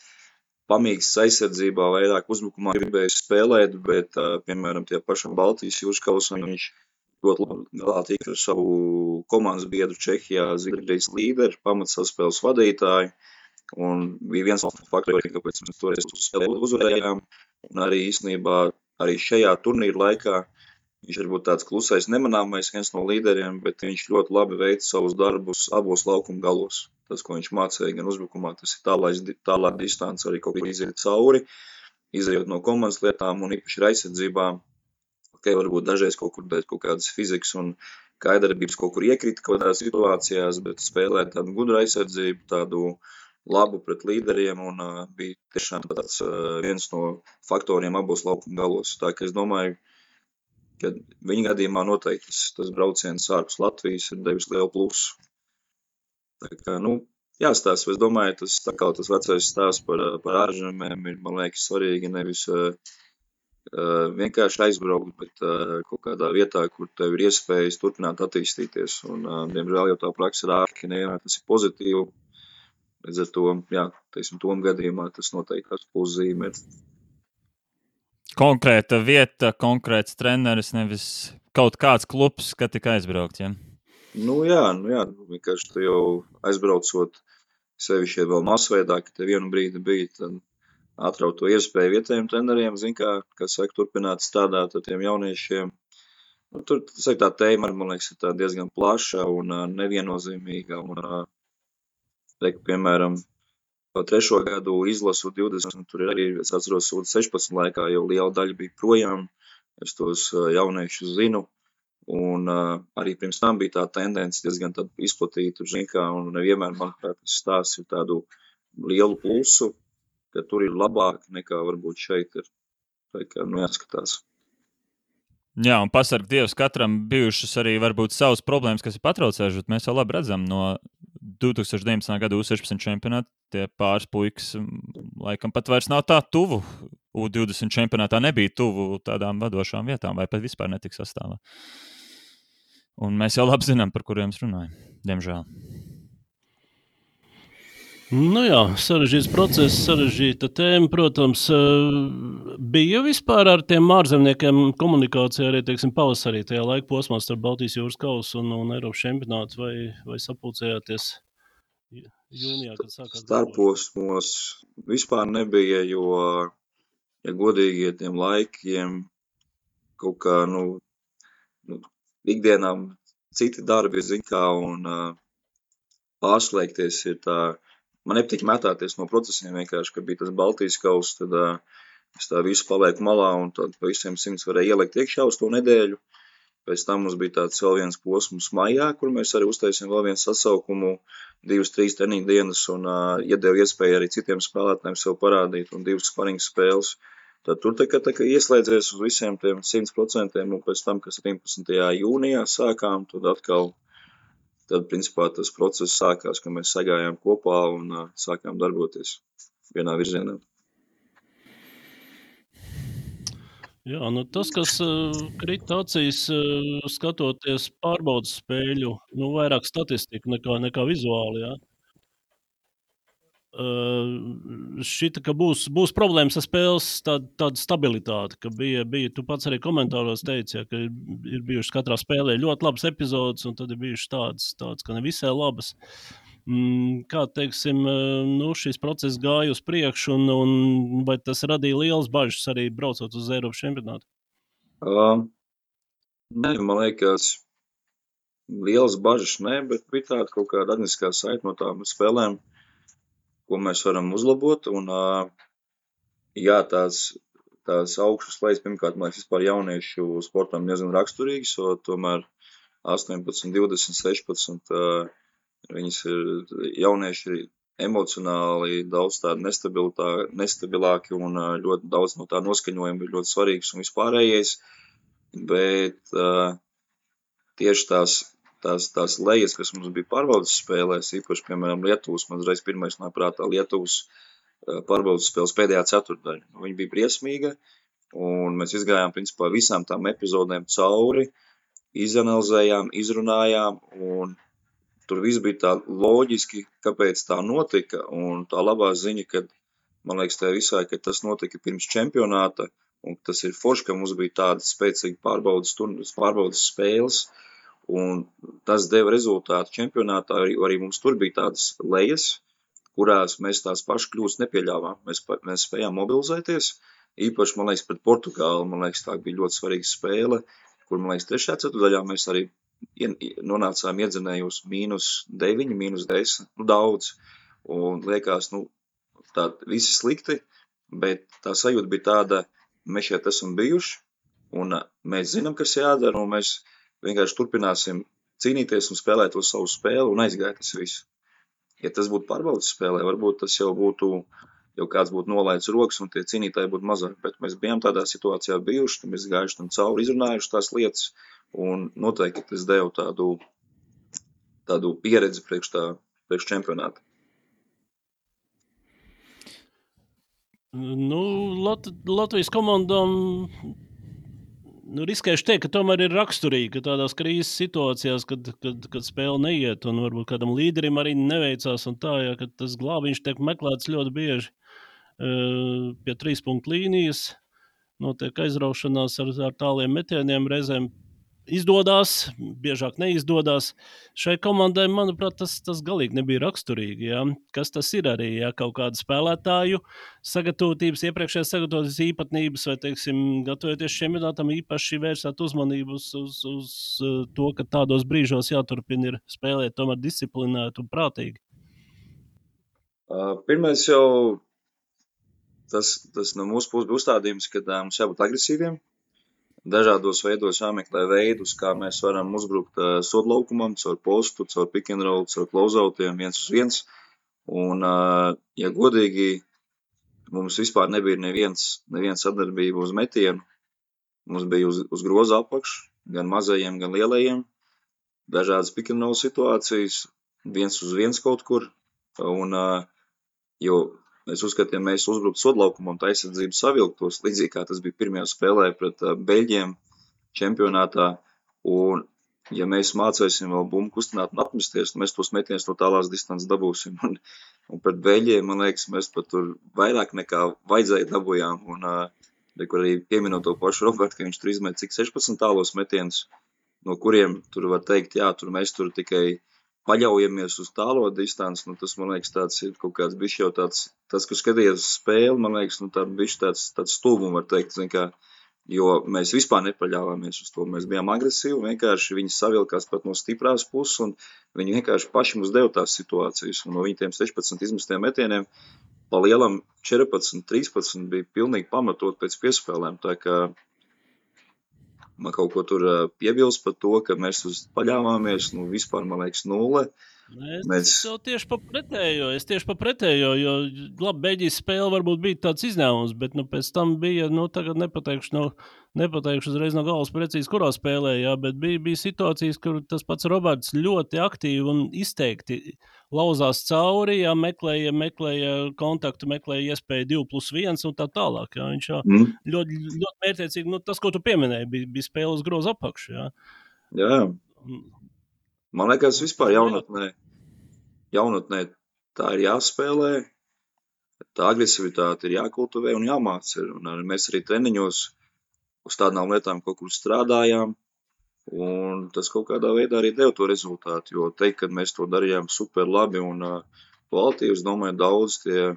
pamīgs aizsardzībā, vairāk uzbrukumā gribēju spēlēt, bet, uh, piemēram, tie pašam Baltijas jūras kausam viņš ļoti labi galā tika ar savu komandas biedru Čehijā, Zviedrijas līderi, pamatsaspēles vadītāju, un bija viens no faktoriem, kāpēc mēs toreiz uz spēli uzvarējām, un arī īstenībā arī šajā turnīra laikā viņš varbūt tāds klusais, nemanāmais viens no līderiem, bet viņš ļoti labi veica savus darbus abos laukuma galos. Tas, ko viņš mācīja gan uzbrukumā, tas ir tālāk, tālāk distance arī kaut kā iziet cauri, izējot no komandas lietām un īpaši aizsardzībā. Okay, varbūt dažreiz kaut kur dēļ kaut kādas fizikas un kaidarbības kaut kur iekrita kaut kādās situācijās, bet spēlēt tādu gudru aizsardzību, tādu labu pret līderiem un uh, bija tiešām tāds uh, viens no faktoriem abos laukuma galos. Tā ka es domāju, ka viņa gadījumā noteikti tas, tas brauciens ārpus Latvijas ir devis lielu plusu. Tā kā, nu, jāstāsta, es domāju, tas tā kā tas vecais stāsts par, par ārzemēm ir, man liekas, svarīgi nevis uh, uh, vienkārši aizbraukt, bet uh, kaut kādā vietā, kur tev ir iespējas turpināt attīstīties. Un, uh, diemžēl jau tā praksa ir ārki, nevienmēr tas ir pozitīvi. Līdz ar to, jā, teiksim, tom gadījumā tas noteikti tas puszīme ir. Konkrēta vieta, konkrēts treneris, nevis kaut kāds klubs, ka tik aizbraukt, ja? Nu jā, nu jā, vienkārši tu jau aizbraucot sevišķi vēl masveidā, ka te vienu brīdi bija, tad atraut to iespēju vietējiem treneriem, zin kā, kas saka, turpināt strādāt ar tiem jauniešiem. Nu, tur, saka, tā tēma, man liekas, ir tā diezgan plaša un uh, neviennozīmīga. Un, uh, Reik, piemēram, pa trešo gadu izlasu divdesmit, tur arī, es atceros, sešpadsmit laikā jau liela daļa bija projām, es tos jauniešus zinu, un uh, arī pirms tam bija tā tendence diezgan tad izplatīta, zin kā, un nevienmēr, manuprāt, tas stāsts ir tādu lielu plusu, ka tur ir labāk nekā varbūt šeit ir. Tā kā, nu, jāskatās. Jā, un pasarg Dievs, katram bijušas arī varbūt savas problēmas, kas ir patraucējušas, bet mēs jau labi redzam no divi tūkstoši deviņpadsmitā gada U sešpadsmit čempionāta, tie pāris puikas laikam pat vairs nav tā tuvu. U divdesmit čempionātā nebija tuvu tādām vadošām vietām, vai pat vispār netika sastāvā. Un mēs jau labi zinām, par kuriem es runāju, diemžēl. Nu jā, sarežģīts process, sarežģīta tēma, protams. Bija vispār ar tiem ārzemniekiem komunikācija arī, teiksim, pavasarī tajā laika posmā starp Baltijas jūras kausu un, un Eiropas čempionātu, vai, vai sapulcējāties jūnijā, kad sākās? Starposmos vispār nebija, jo, ja godīgi tiem laikiem kaut kā, nu, nu ikdienām citi darbi, zin kā, un uh, pārslēgties ir tā. Man nepatīk metāties no procesiem vienkārši, kad bija tas Baltijas kauss, tad uh, es tā visu palieku malā un tad pa visiem simts varēja ielikt iekšā uz to nedēļu. Pēc tam mums bija tāds vēl viens posms maijā, kur mēs arī uztaisījām vēl vienu sasaukumu, divas, trīs treniņu dienas un uh, iedeva iespēju arī citiem spēlētājiem sev parādīt un divas sparingu spēles. Tad tur tā kā, tā kā ieslēdzies uz visiem tiem simt procentiem un pēc tam, kas septiņpadsmitajā jūnijā sākām, tad atkal Tad, principā, tas process sākās, ka mēs sagājām kopā un uh, sākām darboties vienā virzienā. Jā, nu tas, kas uh, krita acīs, uh, skatoties pārbaudas spēļu, nu vairāk statistika nekā, nekā vizuāli, jā. Uh, šita, ka būs, būs problēmas ar spēles tāda, tāda stabilitāte, ka bija, bija, tu pats arī komentāros teici, ja, ka ir, ir bijušas katrā spēlē ļoti labas epizodes, un tad ir bijušas tādas, tādas ka ne visai labas. Mm, kā, teiksim, nu, šis process gāja uz priekšu, un, un vai tas radīja lielas bažas arī braucot uz Eiropas čempionātu? Uh, ne, man liekas, lielas bažas ne, bet bija tāda kaut kāda administratīvā saita no tām spēlēm, ko mēs varam uzlabot, un jā, tās, tās augšas lejas, pirmkārt, man liekas, vispār jauniešu sportam diezgan raksturīgas, jo tomēr astoņpadsmit, divdesmit, sešpadsmit, viņas ir jaunieši emocionāli daudz tādi nestabilāki un ļoti daudz no tā noskaņojuma ir ļoti svarīgs un vispārējais, bet tieši tās Tās, tās lejas, kas mums bija pārbaudas spēlēs, īpaši, piemēram, Lietuvas, man uzreiz pirmais nāk prātā Lietuvas pārbaudas spēles pēdējā ceturtdaļa. Viņa bija briesmīga, un mēs izgājām, principā, visām tām epizodēm cauri, izanalizējām, izrunājām, un tur viss bija tā loģiski, kāpēc tā notika, un tā labā ziņa, kad, man liekas, tā visai, ka tas notika pirms čempionāta, un tas ir forši, ka mums bija tādas spēcīgi pārbaudas, pārbaudas spēles, un tas deva rezultātu čempionātā, arī, arī mums tur bija tādas lejas, kurās mēs tās pašas kļūstas nepieļāvām. Mēs, mēs spējām mobilizēties, īpaši, man liekas, pret Portugāli, man liekas, tā bija ļoti svarīga spēle, kur, man liekas, trešajā ceturtdaļā mēs arī nonācām iedzinējos mīnus deviņi, mīnus desmit, nu daudz, un liekas, nu, tā visi slikti, bet tā sajūta bija tāda, mēs šeit esam bijuši, un mēs zinām, kas jādara, un mēs vienkārši turpināsim cīnīties un spēlēt to savu spēli un aizgāja tas viss. Ja tas būtu pārbaudas spēlē, varbūt tas jau būtu jau kāds būtu nolaidis rokas un tie cīnītāji būtu mazāk. Bet mēs bijām tādā situācijā bijuši, mēs gājuši tam cauri, izrunājuši tās lietas un noteikti tas deva tādu, tādu pieredzi priekš, tā, priekš čempionāta. Nu, Lat- Latvijas komandām nu, riskējuši teikt, ka tomēr ir raksturīgi, ka tādās krīzes situācijās, kad, kad, kad spēle neiet un varbūt kādam līderim arī neveicās un tā, ja, kad tas glābiņš tiek meklēts ļoti bieži uh, pie trīs punktu līnijas, notiek aizraušanās ar, ar tāliem metieniem, reizēm izdodās, biežāk neizdodas. Šai komandai, manuprāt, tas, tas galīgi nebija raksturīgi. Ja? Kas tas ir arī, ja kaut kāda spēlētāju sagatavotības, iepriekšējās sagatavotības īpatnības, vai, teiksim, gatavoties šiem minētam īpaši vērsāt uzmanību uz, uz, uz to, ka tādos brīžos jāturpina ir spēlēt tomēr disciplinēt un prātīgi. Uh, pirmais jau tas, tas no mūsu puses bija uzstādījums, ka uh, mums jābūt agresīviem. Dažādos veidos jāmeklē veidus, kā mēs varam uzbrukt uh, sodlaukumam, caur postu, caur pick and roll, caur closeoutiem, viens uz viens. Un, uh, ja godīgi, mums vispār nebija neviens, neviens sadarbība uz metienu. Mums bija uz, uz groza apakš, gan mazajiem, gan lielajiem. Dažādas pick and roll situācijas, viens uz viens kaut kur. Un, uh, jo es uzskatu, ja mēs uzbruktu sodlaukumam, tā aizsardzība savilktos, līdzīgi kā tas bija pirmajā spēlē pret uh, Beļģiem čempionātā. Un, ja mēs mācēsim vēl bumbu kustināt un apmesties, mēs tos metienus no tālās distances dabūsim. Un, un pret Beļģiem, man liekas, mēs pat tur vairāk nekā vajadzēja dabūjām. Un, uh, kur arī pieminot to pašu Robertu, ka viņš tur izmet cik sešpadsmit tālos metienus, no kuriem tur var teikt, jā, tur mēs tur tikai paļaujamies uz tālo distanci, nu tas, man liekas, tāds ir kaut kāds bišķi jau tāds, tas, kas skatījies uz spēli, man liekas, nu tāds bišķi tāds, tāds stulbums, var teikt, zin kā, jo mēs vispār nepaļāvāmies uz to, mēs bijām agresīvi, vienkārši viņi savilkās pat no stiprās puses, un viņi vienkārši paši mums deva tās situācijas, un no viņiem sešpadsmit izmestiem metieniem, pa lielam četrpadsmit, trīspadsmit bija pilnīgi pamatot pēc piespēlēm, tā kā man kaut ko tur piebilst par to, ka mēs uz paļāvāmies, nu vispār, man liekas, nulle. Es Mēs... tieši pa pretējo, es tieši pa pretējo, jo, labi, Beļģijas spēle varbūt bija tāds izņēmums, bet, nu, pēc tam bija, nu, tagad nepateikšu, no, nepateikšu uzreiz no galvas precīzi, kurā spēlē, jā, bet bija, bija situācijas, kur tas pats Roberts ļoti aktīvi un izteikti lauzās cauri, jā, meklēja, meklēja kontaktu, meklēja iespēju divi plus viens un tā tālāk, jā, viņš jā, mm. ļoti, ļoti mērķiecīgi, nu, tas, ko tu pieminēji, bija, bija spēles groza apakšu, jā. Jā. Man liekas, vispār jaunatnē, jaunatnē tā ir jāspēlē, tā agresivitāte ir jākultivē un jāmāca. Un mēs arī treniņos uz tādām lietām kaut kur strādājām, un tas kaut kādā veidā arī deva to rezultātu, jo teikt, ka mēs to darījām super labi un uh, kvalitīvi, es domāju, daudz tie,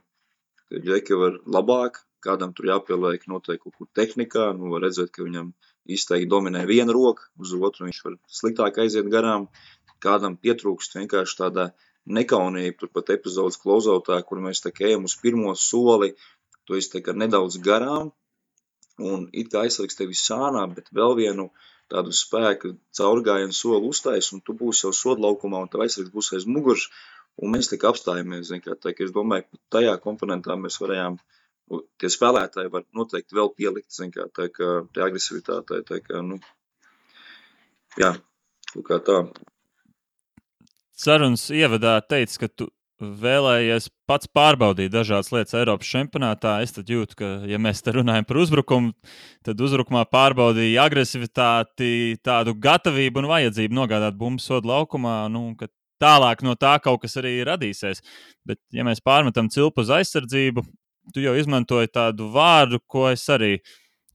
tie džeki var labāk, kādam tur jāpieliek noteikti kaut kur tehnikā, nu var redzēt, ka viņam izteikti dominē viena roka, uz otru viņš var sliktāk aiziet garām. Kādam pietrūkst vienkārši tāda nekaunība, turpat epizodes closeoutā, kur mēs tā kā ejam uz pirmo soli, to es tā kā nedaudz garām, un it kā aizsargs tevi sānā, bet vēl vienu tādu spēku caurgājienu soli uztais, un tu būsi jau sodlaukumā, un tev aizsargs būs aiz muguras, un mēs tā kā apstājamies, zin kā, tā kā es domāju, ka tajā komponentā mēs varējām, tie spēlētāji var noteikti vēl pielikt, zin kā, tā kā, tā agresivitātē, tā kā, nu, jā, kaut kā tā. Sarunas ievadā teica, ka tu vēlējies pats pārbaudīt dažādas lietas Eiropas čempionātā. Es tad jūtu, ka, ja mēs te runājam par uzbrukumu, tad uzbrukumā pārbaudīja agresivitāti, tādu gatavību un vajadzību nogādāt bumbu sodu laukumā, nu, ka tālāk no tā kaut kas arī radīsies. Bet, ja mēs pārmetam cilpu uz aizsardzību, tu jau izmantoji tādu vārdu, ko es arī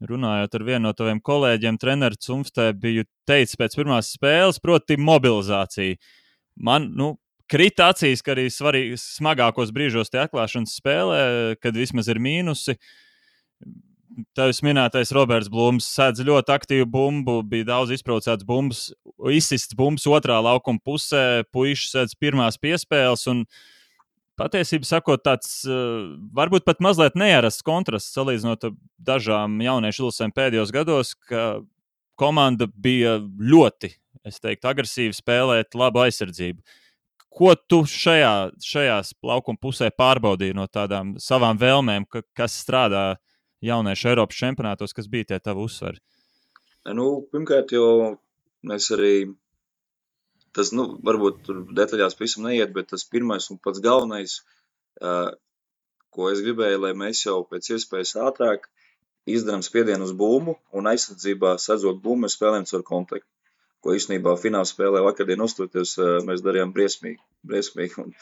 runājot ar vienu no taviem kolēģiem, treneru Cumftē, biju teicis pēc pirmās spēles, proti mobilizācija. Man, nu, krita acīs, ka arī svarīgi, smagākos brīžos tie atklāšanas spēlē, kad vismaz ir mīnusi. Tevis minētais Roberts Blūms sēdz ļoti aktīvu bumbu, bija daudz izprovocēts bumbas, izsists bumbas otrā laukuma pusē, puiši sēdz pirmās piespēles un patiesībā sakot tāds, varbūt pat mazliet nearasts kontrasts salīdzinot dažām jauniešu izlasēm pēdējos gados, ka komanda bija ļoti, es teiktu, agresīvi spēlēt labu aizsardzību. ko tu šajā, šajās laukuma pusē pārbaudīji no tādām savām vēlmēm, ka, kas strādā jauniešu Eiropas čempionātos, kas bija tie tavi uzsvari? Nu, pirmkārt, jau mēs arī, tas, nu, varbūt tur detaļās visam neiet, bet tas pirmais un pats galvenais, uh, ko es gribēju, lai mēs jau pēc iespējas ātrāk izdarām spiedienu uz bumbu un aizsardzībā sadzot bumbu, mēs spēlējam caur kontaktu. Ko īstenībā fināla spēlē vakardien uzstoties, mēs darījām briesmīgi. briesmīgi un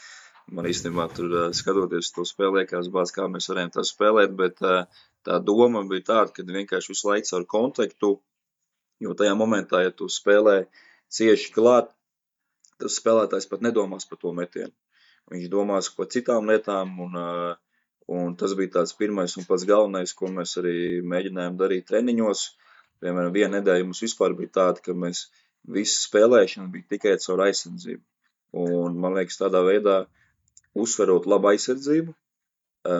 man īstenībā tur skatoties to spēlē, liekas bāc, kā mēs varējām tā spēlēt, bet tā doma bija tāda, ka vienkārši visu laiku caur kontaktu, jo tajā momentā, ja tu spēlē cieši klāt, tas spēlētājs pat nedomās par to metienu. Viņš domās par citām lietām, un, un tas bija tāds pirmais un pats galvenais, ko mēs arī mēģinājām darīt treniņos. Piemēram, viena nedēļa mums vispār bija tāda, ka mēs visu spēlēšana bija tikai caur aizsardzību. Un, man liekas, tādā veidā, uzsverot labu aizsardzību,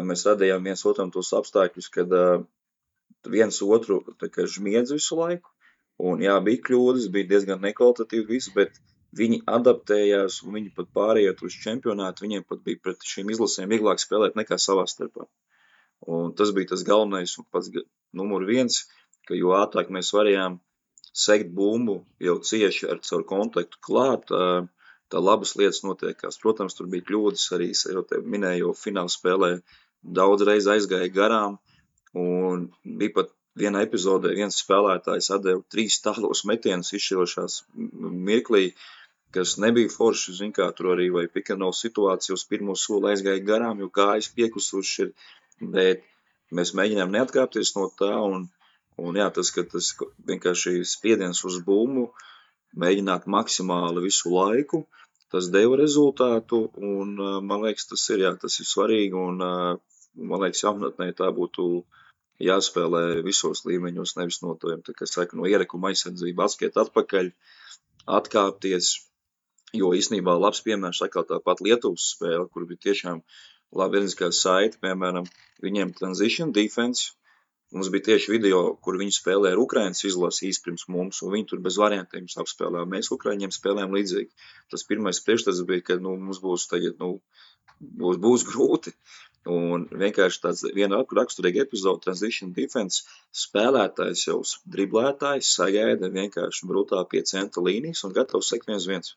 mēs radījām viens otram tos apstākļus, kad viens otru tā kā žmiedz visu laiku. Un jā, bija kļūdas, bija diezgan nekvalitatīvi viss, bet viņi adaptējās un viņi pat pārējot uz čempionātu, viņiem pat bija pret šīm izlasēm vieglāk spēlēt nekā savā starpā. Un tas bija tas galvenais un pats numur viens, ka jo ātrāk mēs varējām sekt bumbu jau cieši ar caur kontaktu klāt, tā labas lietas notiekās. Protams, tur bija kļūdas arī, jau te minēju, fināla spēlē daudz reiz aizgāja garām, un bija pat vienā epizodē viens spēlētājs atdeva trīs tālos metienus izšķirošās mirklī, kas nebija forši, zin kā, tur arī vai pick-and-roll situācija uz pirmo soli aizgāja garām, jo kājas piekusuši ir, bet mēs mēģinām neatkāpties no tā, un Un jā, tas, ka tas vienkārši spiediens uz bumbu, mēģināt maksimāli visu laiku, tas deva rezultātu, un man liekas, tas ir, jā, tas ir svarīgi, un man liekas, jaunatnē tā būtu jāspēlē visos līmeņos, nevis no to, tā kā saka, no ierekuma aizsardzība, atskiet atpakaļ, atkāpties, jo īstenībā labs piemērs atkal tāpat Lietuvas spēle, kur bija tiešām labi vienīskā saiti, piemēram, viņiem transition defense. Mums bija tieši video, kur viņi spēlē ar Ukrainas izlasi īsti pirms mums, un viņi tur bez variantiem apspēlē. Mēs Ukraiņiem spēlējām līdzīgi. Tas pirmais priekšstats bija, ka nu, mums būs tagad, nu, būs, būs grūti. Un vienkārši tāds viena raksturīga epizode, transition defense, spēlētājs jau driblētājs sagaida vienkārši brutā pie centra līnijas un gatavs sekt viens viens.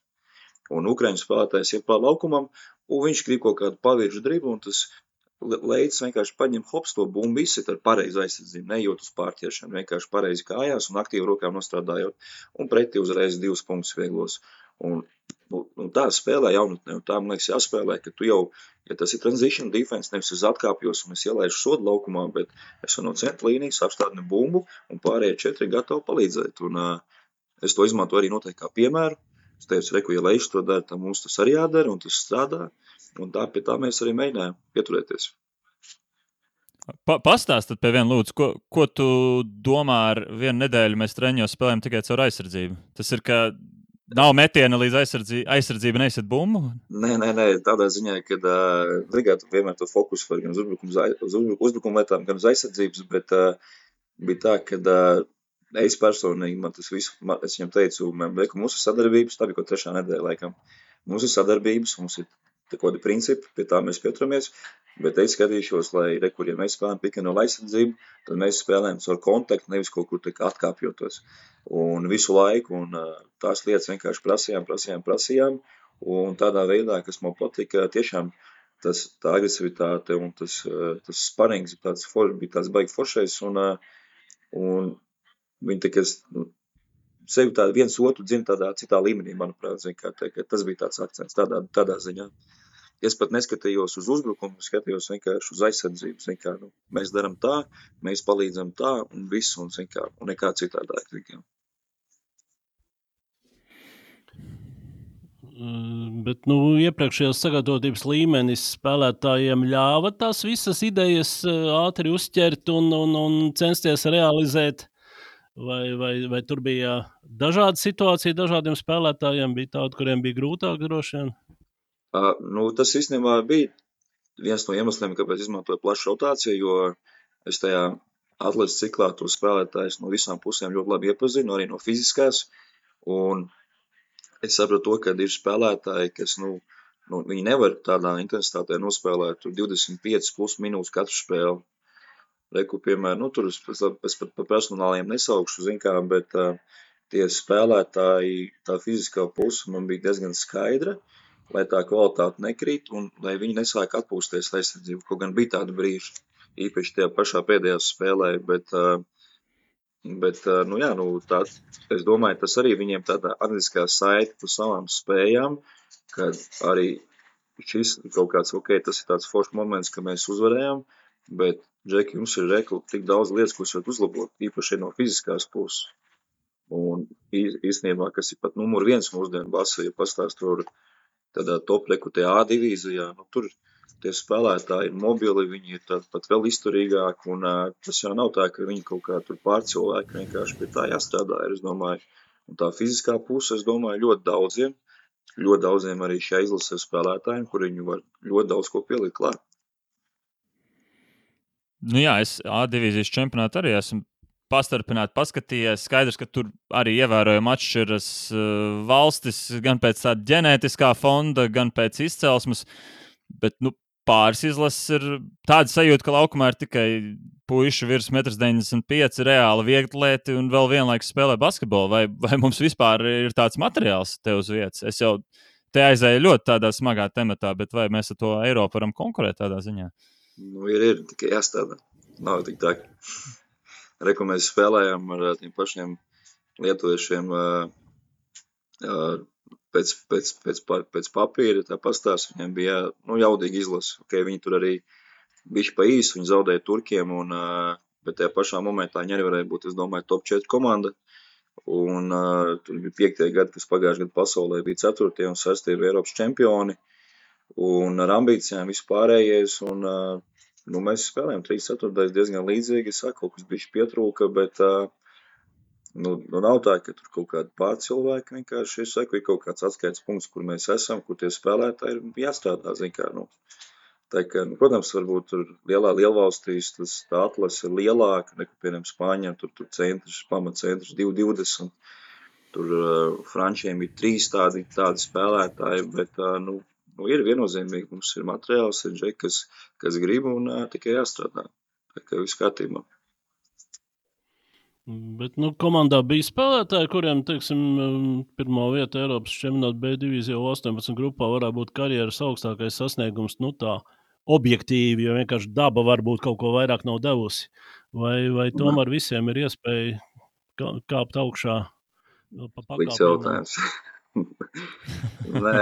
Un Ukraiņu spēlētājs iet pār laukumam, un viņš grib kaut kādu paviršu driblu, un tas Leids vienkārši paņem hops to bumbu izsit ar pareizu aizsardzību, nejūt uz pārķeršanu, vienkārši pareizi kājās un aktīvi rokām nostrādājot, un pretī uzreiz divus punktus vieglos. Un, un tā spēlē jaunatnē, un tā, man liekas, jāspēlē, ka tu jau, ja tas ir transition defense, nevis uz atkāpjos, un es ielaišu sodu laukumā, bet es no centra līnijas apstādinu bumbu, un pārējie četri gatavi palīdzēt. Un uh, es to izmanto arī noteikti kā piemēru. Es teicu, reku, ja Leišs to dara, tad mums tas arī jādara, un tas strādā. Un tā pie tā mēs arī mēģinājām pieturēties. Pa, pastāst tad pie viena lūdzu, ko, ko tu domā ar vienu nedēļu mēs treniņos spēlējam tikai caur aizsardzību? Tas ir, ka nav metiena līdz aizsardzība, aizsardzība neizsit bumbu? Nē, nē, nē, tādā ziņā, ka uh, ligāt vienmēr to fokusu var gan uz uzbrukumu, uz uzbrukumu lietām, gan uz aizsardzības, bet uh, bija tā, ka uh, es personīgi, man tas visu, man, es viņam teicu, man lieku, mūsu sadarbības, tā bija kaut trešā nedēļa laikam, mūsu sadarbības, mums ir kādi principi, pie tā mēs pieturamies, bet es skatīšos, lai rekur, ja mēs spēlējam pick-and-roll aizsardzību, tad mēs spēlējam caur kontaktu, nevis kaut kur tā atkāpjotos. Un visu laiku, un tās lietas vienkārši prasījām, prasījām, prasījām, un tādā veidā, kas man patika, tiešām tas, tā agresivitāte un tas, tas sparings tāds for, bija tāds baigi foršais, un, un viņi tā, kas, nu, sevi tā viens otru dzina tādā citā līmenī, manuprāt, zin, kā, tā, tas bija tāds akcents tādā, tādā ziņā. Es pat neskatījos uz uzbrukumu, skatījos vienkārši uz aizsardzību, zin, kā, nu, mēs daram tā, mēs palīdzam tā, un viss, un, zin, kā, un nekā citādāk, zin, kā. Bet, nu, iepriekšējās sagatavotības līmenis spēlētājiem ļāva tās visas idejas ātri uzķert un, un, un censties realizēt. Vai, vai, vai tur bija dažāda situācija dažādiem spēlētājiem, bija tādi, kuriem bija grūtāk droši vien? Uh, nu, tas īstenībā bija viens no iemesliem, kāpēc izmantoju plašu rotāciju, jo es tajā atlases ciklā to spēlētājus no visām pusēm ļoti labi iepazinu, arī no fiziskās, un es sapratu to, ka ir spēlētāji, kas, nu, nu, viņi nevar tādā intensitātē nospēlēt tur divdesmit piecas plus minūtes katru spēli. Reku, piemēram, nu, tur es pat pa personāliem nesaukšu, zin kā, bet uh, tie spēlētāji, tā fiziskā puse man bija diezgan skaidra, lai tā kvalitāte nekrīt un lai viņi nesāk atpūsties aizsardzību, kaut gan bija tāda brīža, īpaši tajā pašā pēdējā spēlē, bet, uh, bet uh, nu jā, nu, tā, es domāju, tas arī viņiem tāda atliskā saite par savām spējām, kad arī šis kaut kāds, ok, tas ir tāds foršs moments, ka mēs uzvarējām, bet, Džeki, jums ir rekli tik daudz lietas, ko jūs varat uzlabot, īpaši no fiziskās puses. Un īstenībā, kas ir pat numur viens mūsdienu basa, ja pastāst tur tādā top reku tajā A divīzijā, nu tur tie spēlētāji ir mobili, viņi ir tādi pat vēl izturīgāki, un uh, tas jau nav tā, ka viņi kaut kā tur pārcilvēki, vienkārši pie tā jāstrādā, es domāju. Un tā fiziskā puse, es domāju, ļoti daudziem, ļoti daudziem arī šajā izlasē spēlētājiem, kur viņi var ļoti daudz ko pielikt klāt. Nu jā, es A divīzijas čempionātu arī esmu pastarpināti paskatījies. Skaidrs, ka tur arī ievērojami atšķiras uh, valstis, gan pēc tāda ģenētiskā fonda, gan pēc izcelsmes, bet nu, pāris izlases ir tāda sajūta, ka laukumā ir tikai puiši virs metrs deviņdesmit pieci, reāli viegtlieti un vēl vienlaikus spēlē basketbolu. Vai, vai mums vispār ir tāds materiāls te uz vietas? Es jau te aizēju ļoti tādā smagā tematā, bet vai mēs ar to Eiropu varam konkurēt tādā ziņā? Nu, ir, ir, tikai jāstādā. Nav tik tā. Reku mēs spēlējām ar tiem pašiem lietuviešiem uh, uh, pēc, pēc, pēc, pēc papīra, tā pastāst, viņiem bija nu, jaudīgi izlasa. Okay, viņi tur arī bišķi pa īsu, viņi zaudēja turkiem, un, uh, bet tajā pašā momentā viņi arī varēja būt, es domāju, top četri komanda. Un uh, tur bija piektie gadi, kas pagājuši gadu pasaulē bija ceturtie un sestie bija Eiropas čempioni. Un ar ambīcijām vispārējais, un uh, nu, mēs spēlējām trīs ceturtais diezgan līdzīgi, es saku, kaut kas bišķi pietrūka, bet uh, nu, nu nav tā, ka tur kaut kādi pārcilvēki vienkārši, es saku, ir kaut kāds atskaites punkts, kur mēs esam, kur tie spēlētāji ir jāstrādā, zin kā, nu. Tā kā, nu, protams, varbūt tur lielā lielvalstīs tas tā atlase ir lielāka, nekā, piemēram, Spāņiem, tur, tur centrs, pamatcentrs divi divdesmit, tur uh, Frančiem ir trīs tādi, tādi spēlētāji, bet, uh, nu, Nu, ir viennozīmīgi, mums ir materiāls, ir džeki, kas, kas grib un uh, tikai jāstrādā. Tā kā viss kārtībā. Bet, nu, komandā bija spēlētāji, kuriem, teiksim, pirmā vieta Eiropas čempionāta B divīzijā astoņpadsmit grupā varētu būt karjeras augstākais sasniegums, nu tā, objektīvi, jo vienkārši daba varbūt kaut ko vairāk nav devusi. Vai, vai tomēr visiem ir iespēja kāpt augšā pa pakāpienam? Līdz jautājums. Nē,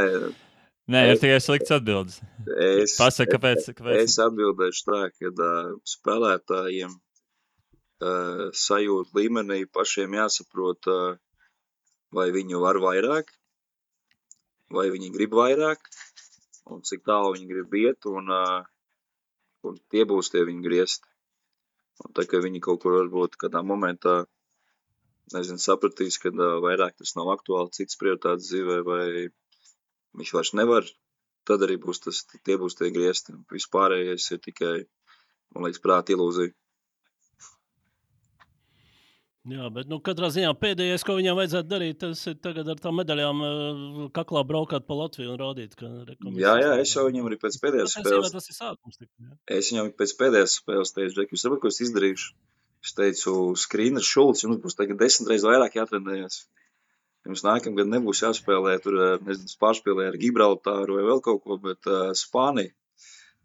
Nē, ir tikai slikts atbildes. Es, Pasaka, kāpēc, kāpēc? Es atbildēšu tā, ka uh, spēlētājiem uh, sajūta līmenī pašiem jāsaprot, uh, vai viņi var vairāk, vai viņi grib vairāk, un cik tālu viņi grib iet, un, uh, un tie būs tie viņi griezt. Un tā, ka viņi kaut kur varbūt kādā momentā, nezinu, sapratīs, ka uh, vairāk tas nav aktuāli, cits prioritātes dzīvē, vai viņš vairs nevar, tad arī būs tas, tie būs tie griezti. Vispārējais ir tikai, man liekas, prāta ilūzija. Jā, bet nu, katrā ziņā pēdējais, ko viņam vajadzētu darīt, tas ir tagad ar tām medaļām kaklā braukāt pa Latviju un rādīt, ka... Jā, jā, es jau viņam arī pēc pēdējās spēles... Tas ir sākums. Jā. Es viņam pēc pēdējās spēles teicu, Džeki, jūs sabat, ko es izdarīšu? Es teicu, Skriner Šulcs, jums būs tagad desmit reizes vairāk jātrenējas. Jums nākamgad nebūs jāspēlē, tur, nezinu, pārspēlē ar Gibraltāru vai vēl kaut ko, bet uh, Spāniju.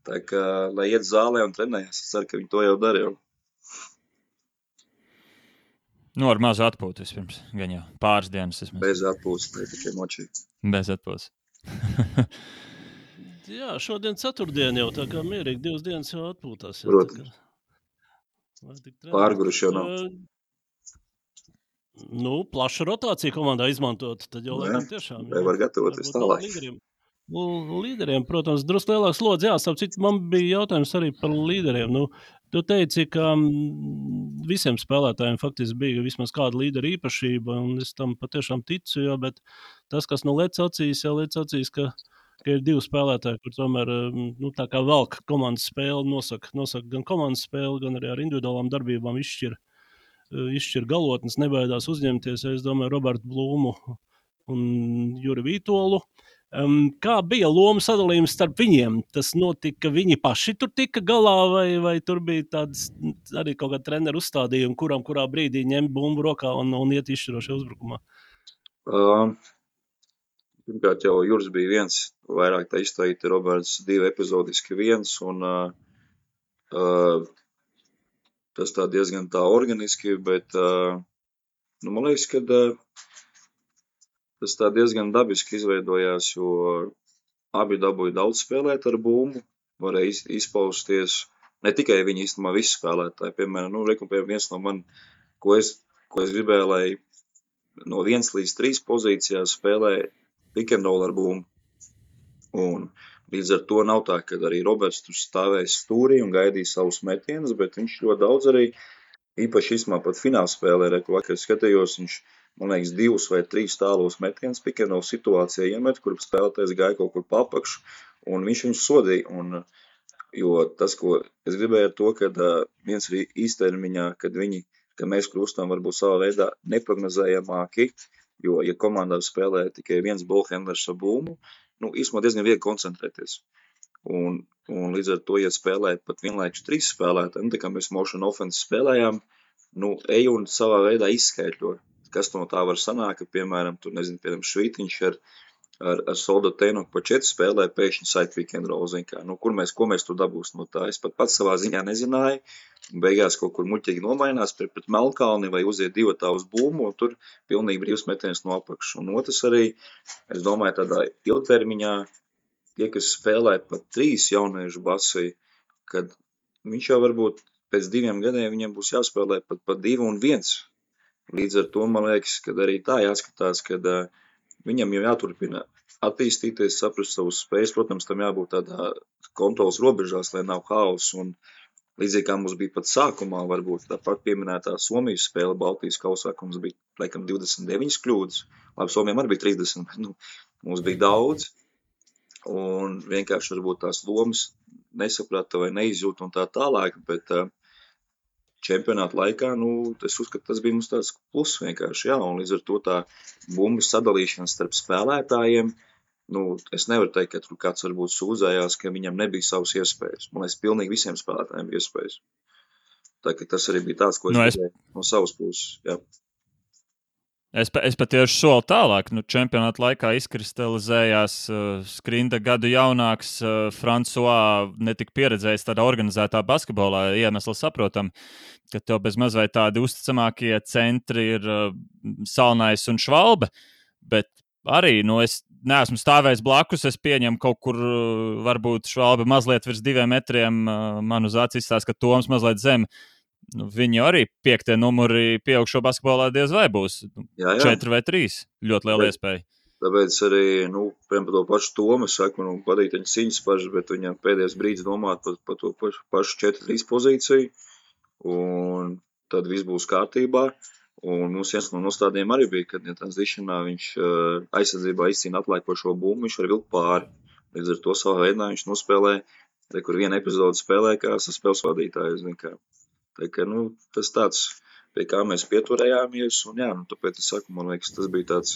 Tā kā, lai iet zālē un trenējas, es ceru, ka viņi to jau dara jau. Nu, ar mazu atpūtu vispirms, gan jau pāris dienas. Vismaz. Bez atpūtas, ne tikai močī. Bez atpūtas. Jā, šodien ceturtdien jau, tā kā mierīgi divas dienas jau atpūtās. Jā, Protams. Kā... Pārguruši jau nav. Uh, Nu, plaša rotācija komandā izmantot, tad jau, laikam, tiešām. Jā, var gatavoties tālāk. Līderiem, līderiem, protams, drusku lielāks slodzi. Jā, starp citu, man bija jautājums arī par līderiem. Nu, tu teici, ka visiem spēlētājiem faktiski bija vismaz kāda līdera īpašība, un es tam patiešām ticu, jo, bet tas, kas nu lec acīs, jau lec acīs, ka, ka ir divi spēlētāji, kur tomēr, nu, tā kā velk komandas spēli, nosaka, nosaka gan komandas spēli, gan arī ar individuālām darbībām izšķir. izšķir galotnes, nebaidās uzņemties, es domāju, Robertu Blūmu un Juri Vītolu. Um, kā bija loma sadalījums starp viņiem? Tas notika, viņi paši tur tika galā, vai, vai tur bija tāds arī kaut kāda treneru uzstādījuma, kuram kurā brīdī ņem bumbu rokā un, un iet izšķirošajā uzbrukumā? Uh, pirmkārt jau Juris bija viens, vairāk tā izteikti, Roberts divi epizodiski viens, un uh, uh, tas tā diezgan tā organiski, bet uh, nu, man liekas, ka uh, tas tā diezgan dabiski izveidojās, jo abi dabūja daudz spēlēt ar bumbu, varēja iz, izpausties. Ne tikai viņi īstenībā visi spēlētāji, piemēram, nu, reku, piemēram, viens no man, ko es, ko es gribēju, lai no viens līdz trīs pozīcijās spēlē pick and roll ar bumbu. Un līdz ar to nav tā, ka arī Roberts tur stāvēs stūrī un gaidīja savus metienus, bet viņš ļoti daudz arī, īpaši īstenībā pat fināla spēlē, reku, vakar skatījos, viņš man liekas, divus vai trīs tālos metienus pick and roll situācijā iemet, kur spēlētājs gāja kaut kur papakšu, un viņš viņus sodīja. Un, jo tas, ko es gribēju ar to, kad uh, viens arī īstermiņā, kad viņi, ka mēs kļūstam varbūt savā veidā neprognozējamāki, jo, ja komandā spēlē tikai viens ballhandlers ar bumbu, nu, īstenībā diezgan viegli koncentrēties. Un, un līdz ar to, ja spēlē pat vienlaikus trīs spēlētāji, nu, tā kā mēs motion offense spēlējām, nu, ej un savā veidā izskaidro. Kas no tā var sanākt, ka, piemēram, tur, nezinu, piemēram, Švītiņš ar, ar, ar Soldatēnu pa četri spēlē pēkšņi side pick and roll, zin kā, nu, kur mēs, ko mēs tur dabūs no tā, es pat pats savā ziņā nezināju, un beigās kaut kur muļķīgi nomainās pret, pret Melkalni vai uziet divatā uz bumbu, un tur pilnīgi brīvs metiens no apakšas. Un otrs arī, es domāju, tādā ilgtermiņā, tie, kas spēlē pat trīs jauniešu basī, kad viņš jau varbūt pēc diviem gadiem viņam būs jāspēlē pat, pat divi un viens. Līdz ar to, man liekas, kad arī tā jāskatās, kad uh, viņam jau jāturpina attīstīties, saprast savus spējas. Protams, tam jābūt tādā kontrolas robežās, lai nav haoss. Un līdzīgi kā mums bija pat sākumā, varbūt tāpat pieminētā Somijas spēle Baltijas kausā, ka mums bija, laikam, divdesmit deviņas kļūdas. Labi, Somijam arī bija trīsdesmit, bet nu, mums bija daudz. Un vienkārši varbūt tās lomas nesaprata vai neizjūt un tā tālāk, bet uh, čempionāta laikā, nu, es uzskatu, tas bija mums tāds plus vienkārši, jā, un līdz ar to tā bumbu sadalīšana starp spēlētājiem, nu, es nevaru teikt, ka tur kāds varbūt sūdzējās, ka viņam nebija savas iespējas. Man liekas, pilnīgi visiem spēlētājiem bija iespējas. Tā, ka tas arī bija tāds, ko es no, gribēju es... no savas puses, jā. Es, es pat tieši soli tālāk, nu, čempionāta laikā izkristalizējās uh, Skrinda gadu jaunāks uh, Francois, netika pieredzējis tādā organizētā basketbolā, iemesli saprotam, ka tev bez maz vai tādi uzticamākie centri ir uh, Salnais un Švalbe, bet arī, nu, es neesmu stāvējis blakus, es pieņemu kaut kur, uh, varbūt Švalbe mazliet virs diviem metriem, uh, man uz acis izstās, ka Toms mazliet zem. Nu, viņi arī piektie numuri pieaugšo basketbolā diez vai būs. Jā, jā. Četri vai trīs. Ļoti liela iespēja. Tāpēc arī, nu, piemēram, par to pašu Tomu, es saku, nu, padīt viņa ciņas paši, bet viņam pēdējais brīdis domāt par, par to pašu, pašu četri trīs pozīciju, un tad viss būs kārtībā. Un mums viens no nostādiem arī bija, kad ja transitionā viņš uh, aizsardzībā izcīna atlaikošo bumbu, viņš var vilkt pāri. Līdz ar to savā veidā viņš nospēlē, re, kur viena epizode spēlē, kā spēles vadītājs, zin kā. Tā kā, nu, tas tāds, pie kā mēs pieturējāmies, un jā, nu, tāpēc es saku, man liekas, tas bija tāds,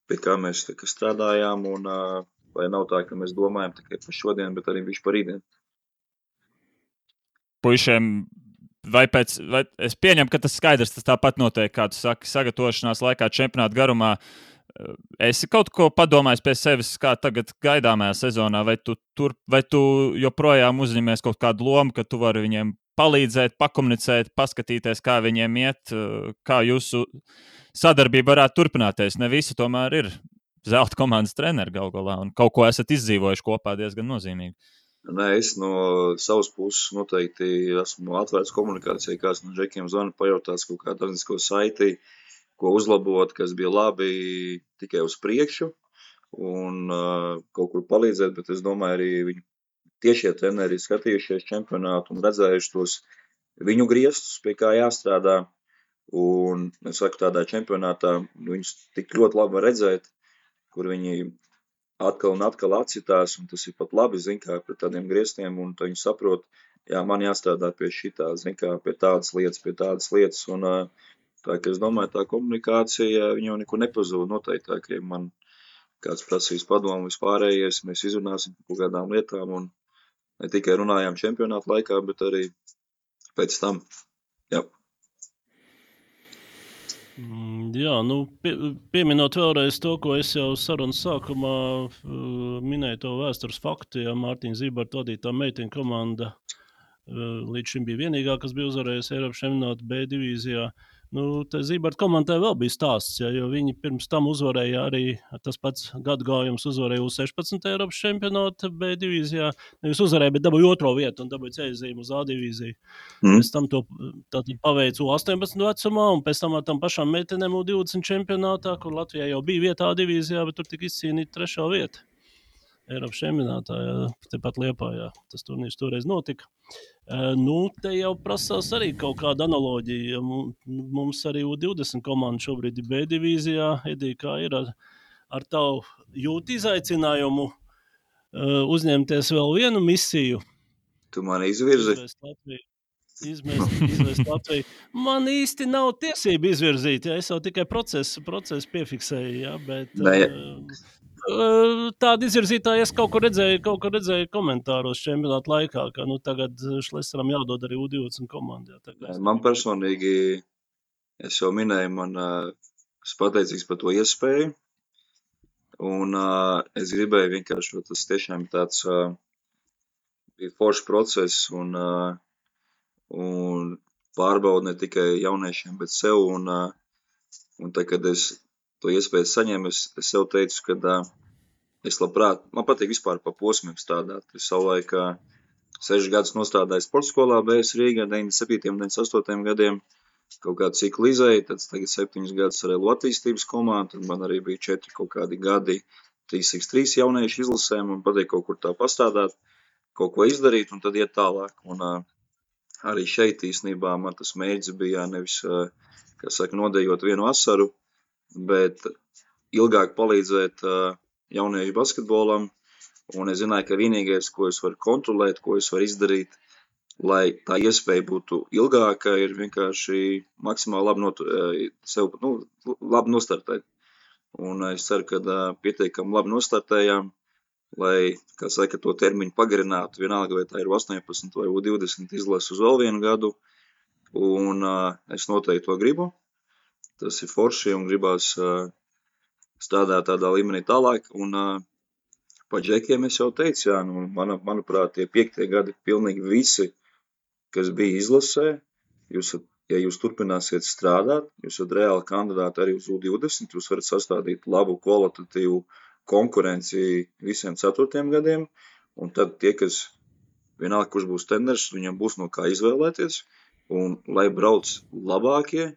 pie kā mēs tā, kā strādājām, un uh, lai nav tā, ka mēs domājam tikai par šodien, bet arī viņš par rītdien. Puišiem, vai pēc, vai es pieņemu, ka tas skaidrs, tas tāpat notiek, kā tu saki, sagatavošanās laikā čempionāta garumā. Esi kaut ko padomājis pie sevis, kā tagad gaidāmajā sezonā, vai tu, tur, vai tu joprojām uzņemies kaut kādu lomu, ka tu vari viņiem palīdzēt, pakomunicēt, paskatīties, kā viņiem iet, kā jūsu sadarbība varētu turpināties. Ne visi tomēr ir zelta komandas treneri gal galā, un kaut ko esat izdzīvojuši kopā diezgan nozīmīgi. Nē, es no savas puses noteikti esmu atvērts komunikācijai, kāds no džekiem zvana pajautās kaut kādu organisko saiti, ko uzlabot, kas bija labi tikai uz priekšu, un uh, kaut kur palīdzēt, bet es domāju arī viņu tiešie treneri skatījušies čempionātu un redzējuši tos viņu griestus, pie kā jāstrādā. Un es saku, tādā čempionātā viņus tik ļoti labi redzēt, kur viņi atkal un atkal atcitās, un tas ir pat labi, zin kā, pret tādiem griestiem, un viņi saprot, jā, man jāstrādā pie šitā, zin kā, pie tādas lietas, pie tādas lietas, un tā, ka es domāju, tā komunikācija, viņa jau nekur nepazūd noteikti, tā, ka man kāds prasīs padomu vispārējais, mēs izrunāsim par kādām lietām un ne tikai runājām čempionāta laikā, bet arī pēc tam. Jā. Jā, nu, pie, pieminot vēlreiz to, ko es jau sarunas sākumā uh, minēju, to vēstures faktu, ja Mārtiņa Zībarta vadītā meiteņu komanda uh, līdz šim bija vienīgā, kas bija uzvarējusi Eiropas čempionātu B divīzijā. Nu, tā Zībarta komandai vēl bija stāsts, ja, jo viņi pirms tam uzvarēja arī tas pats gadu gājums uzvarēja U sešpadsmit Eiropas čempionātu B divīzijā. Nevis uzvarēja, bet dabūja otro vietu un dabūja ceļzīmu uz A divīziju. Mm. Pēc tam to tātad paveica U astoņpadsmit vecumā un pēc tam ar tam pašām meitenēm U divdesmit čempionātā, kur Latvijā jau bija vieta A divīzijā, bet tur tika izcīnīta trešā vieta. Eiropas čempionātā, jā, tepat Liepājā. Tas turnīrs toreiz notika. Uh, nu, te jau prasās arī kaut kāda analoģija. Mums arī U divdesmit komanda šobrīd ir B divīzijā. Edija, kā ir ar, ar tavu jūtu izaicinājumu uh, uzņemties vēl vienu misiju? Tu mani izvirzi? Izvest Latviju. Izmest, izvest Latviju. Man īsti nav tiesība izvirzīt, ja es jau tikai procesu, procesu piefiksēju, ja, bet... Uh, Tāda izvirzītāja es kaut ko redzēju, kaut ko redzēju komentāros čempionāta laikā, ka nu, tagad Šlesaram jādod arī U divdesmit komandā. Man personīgi, es jau minēju, man es pateicīgs par to iespēju, un uh, es gribēju vienkārši, tas tiešām tāds uh, bija foršs process, un, uh, un pārbaudu ne tikai jauniešiem, bet sev, un, uh, un tā, kad es to iespēju saņēmu, es, es sev teicu, ka uh, es labprāt, man patīk vispār pa posmiem strādāt. Es savulaik uh, sešas gadus nostādāju sporta skolā B S Rīgā, deviņdesmit septītajiem, deviņdesmit astotajiem gadiem, kaut kādu ciklu izēju, tad tagad septiņus gadus ar Elu attīstības komandu, tad man arī bija četri kaut kādi gadi trīs pret trīs jauniešu izlasēm, un patīk kaut kur tā pastādāt, kaut ko izdarīt, un tad iet tālāk. Un uh, arī šeit īstenībā man tas mērķis bija nevis, uh, kā saka, nodejot vienu asaru, bet ilgāk palīdzēt uh, jauniešu basketbolam, un es zināju, ka vienīgais, ko es varu kontrolēt, ko es varu izdarīt, lai tā iespēja būtu ilgāka, ir vienkārši maksimāli labi, not, sev, nu, labi nostartēt. Un es ceru, ka uh, pietiekami labi nostartējām, lai, kā saka, to termiņu pagarinātu, vienalga, vai tā ir U astoņpadsmit vai U divdesmit izlases uz vēl vienu gadu, un uh, es noteikti to gribu. Tas ir forši un gribās uh, strādāt tādā līmenī tālāk. Un uh, par džekiem es jau teicu, jā, nu, man, manuprāt, tie piektie gadi pilnīgi visi, kas bija izlasē, jūs, ja jūs turpināsiet strādāt, jūs esat reāli kandidāti arī uz U divdesmit, jūs varat sastādīt labu kvalitatīvu konkurenci visiem ceturtiem gadiem, un tad tie, kas vienalga, kurš būs treneris, viņam būs no kā izvēlēties, un lai brauc labākie,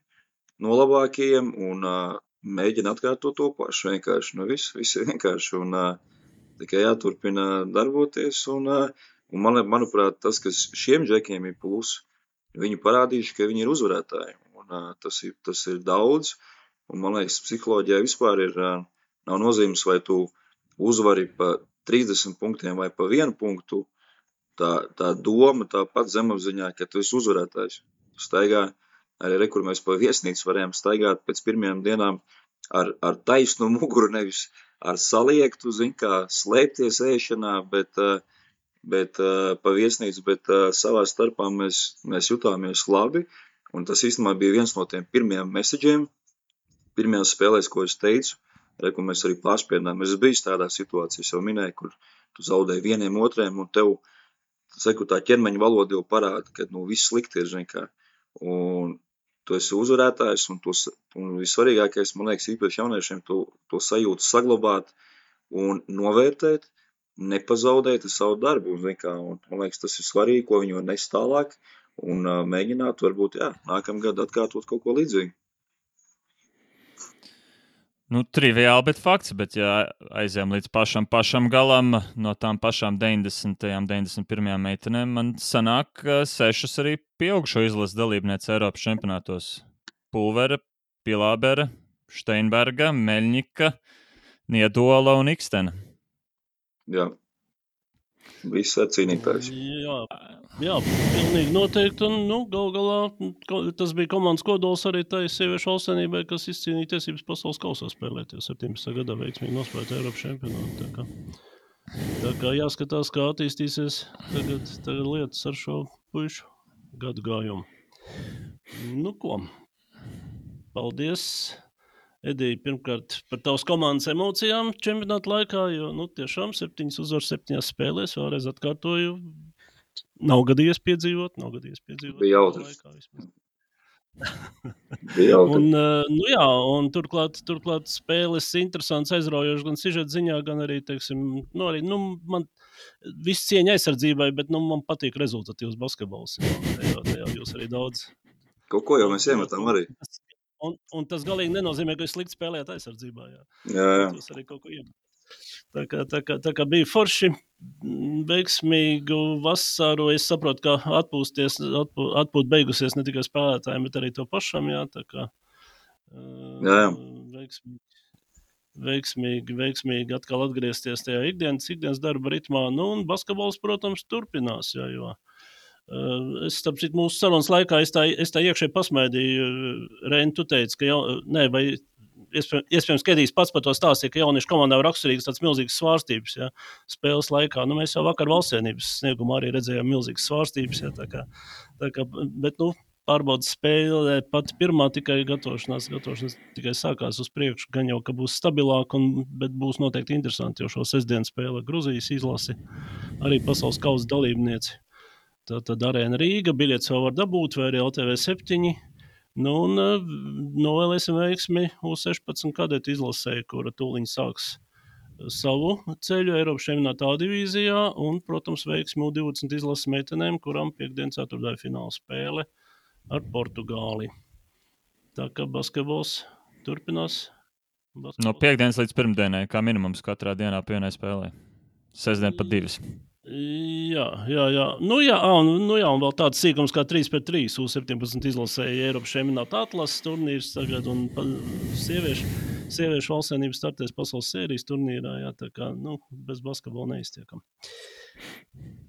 no labākajiem un uh, mēģina atkārtot to pašu vienkārši, nu viss, viss vienkārši, un uh, tikai jāturpina darboties, un, uh, un man, manuprāt, tas, kas šiem džekiem ir plus, viņi parādījuši, ka viņi ir uzvarētāji, un uh, tas, ir, tas ir daudz, un man liekas, psiholoģijā vispār ir, uh, nav nozīmes, vai tu uzvari pa trīsdesmit punktiem vai pa vienu punktu, tā, tā doma, tā pat zemapziņā, ka tu esi uzvarētājs, tu staigā. Arī re, kur mēs pa viesnīcu varējām staigāt pēc pirmajām dienām ar, ar taisnu muguru, nevis ar saliektu, zin kā, slēpties ēšanā, bet, bet pa viesnīcu, bet savā starpā mēs, mēs jutāmies labi, un tas īstenībā bija viens no tiem pirmajiem messageiem, pirmajās spēlēs, ko es teicu, re, kur mēs arī pārspiedām. Es biju tādā situācijā, es jau minēju, kur tu zaudēji vieniem otriem, un tev, saku, tā ķermeņa valoda jau parāda, ka, nu, viss slikti ir, zin kā, un tu esi uzvarētājs, un, to, un visvarīgākais, man liekas, īpaši jauniešiem to, to sajūtu saglabāt un novērtēt, nepazaudēt savu darbu. Un, kā, un, man liekas, tas ir svarīgi, ko viņi var nest tālāk un uh, mēģināt, varbūt, jā, nākamgad atkārtot kaut ko līdzīgu. Nu, triviāli, bet fakts, bet ja aizējām līdz pašam, pašam galam, no tām pašām deviņdesmitajām, deviņdesmit pirmajām meitenēm, man sanāk sešas arī pieaugušo izlases dalībniece Eiropas čempionātos. Pulvere, Pilābere, Steinberga, Meļņika, Niedola un Ikstena. Jā, viss ir cīnītājs. Jā. Jā, pilnīgi noteikti. Un, nu, gal galā tas bija komandas kodols arī tai sieviešu valstsvienībai, kas izcīnīja tiesības pasaules kausā spēlēt. Jo septiņpadsmitajā gadā veiksmīgi nospēlēt Eiropas čempionātu. Tā kā, tā kā jāskatās, kā attīstīsies tagad, tagad lietas ar šo puišu gadu gājumu. Nu ko, paldies, Edija, pirmkārt par tavas komandas emocijām čempionāta laikā, jo nu, tiešām septiņas uzvaras septiņās spēlēs, vēlreiz atkārtoju, nav gadījies piedzīvot, nav gadījies piedzīvot. Bija jautri. Laikā, Bija jautri. un, nu jā, un turklāt, turklāt spēles interesants, aizraujošs gan sižeta ziņā, gan arī, teiksim, nu arī, nu, man viss cieņa aizsardzībai, bet, nu, man patīk rezultatīvs basketbols. Jā, tajā, tajā jūs arī daudz. Kaut ko jau mēs iemetam arī. Un, un tas galīgi nenozīmē, ka jūs slikti spēlējat aizsardzībā. Jā, jā, jā. Jūs arī kaut ko iemet. Tā kā, tā, kā, tā kā bija forši, veiksmīgu vasaru, es saprotu, ka atpūsties, atpūt, atpūt beigusies ne tikai spēlētājiem, bet arī to pašam, jā, tā kā jā, jā. Veiksmīgi, veiksmīgi, veiksmīgi atkal atgriezties tajā ikdienas, ikdienas darba ritmā, nu un basketbols, protams, turpinās, jā, jo es, starp citu, mūsu sarunas laikā es tā, es tā iekšēji pasmaidīju, Reini, tu teici, ka jau, ne, vai iespējams, Kedijs pats par to stāstīja, ka jauniešu komandā var raksturīgas tāds milzīgas svārstības, ja, spēles laikā. Nu, mēs jau vakar valstsienības sniegumā arī redzējām milzīgas svārstības, ja, tā kā, tā kā, bet, nu, pārbaudas spēle pat pirmā tikai gatavošanās, gatavošanās tikai sākās uz priekšu, gan jau, ka būs stabilāk, un, bet būs noteikti interesanti, jo šo sestdienu spēle Gruzijas izlasi arī pasaules kausa dalībnieci. Tad Arēna Rīga, biļetes vēl var dabūt, vai arī L T V septiņi. Nu, un novēlēsim veiksmi U sešpadsmit kadetu izlasē, kura tūliņ sāks savu ceļu Eiropas čempionāta A divīzijā, un, protams, veiksmi U divdesmit izlases meitenēm, kurām piekdien ceturtdaļa fināla spēle ar Portugāli. Tā kā basketbols turpinās. Basketbols. No piekdienas līdz pirmdienai, kā minimums katrā dienā pienai spēlē. Sestdien pat divas. Jā, jā, jā. Nu jā, un, nu jā, un vēl tāds sīkums kā trīs pret trīs U septiņpadsmit izlasēja Eiropas čempionāta atlases turnīrs tagad, un sieviešu, sieviešu valstsvienības startēs pasaules sērijas turnīrā, jā, tā kā, nu, bez basketbola neiztiekam.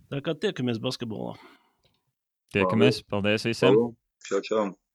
Tā kā tiekamies basketbolā. Tiekamies, paldies visiem. Čau, čau.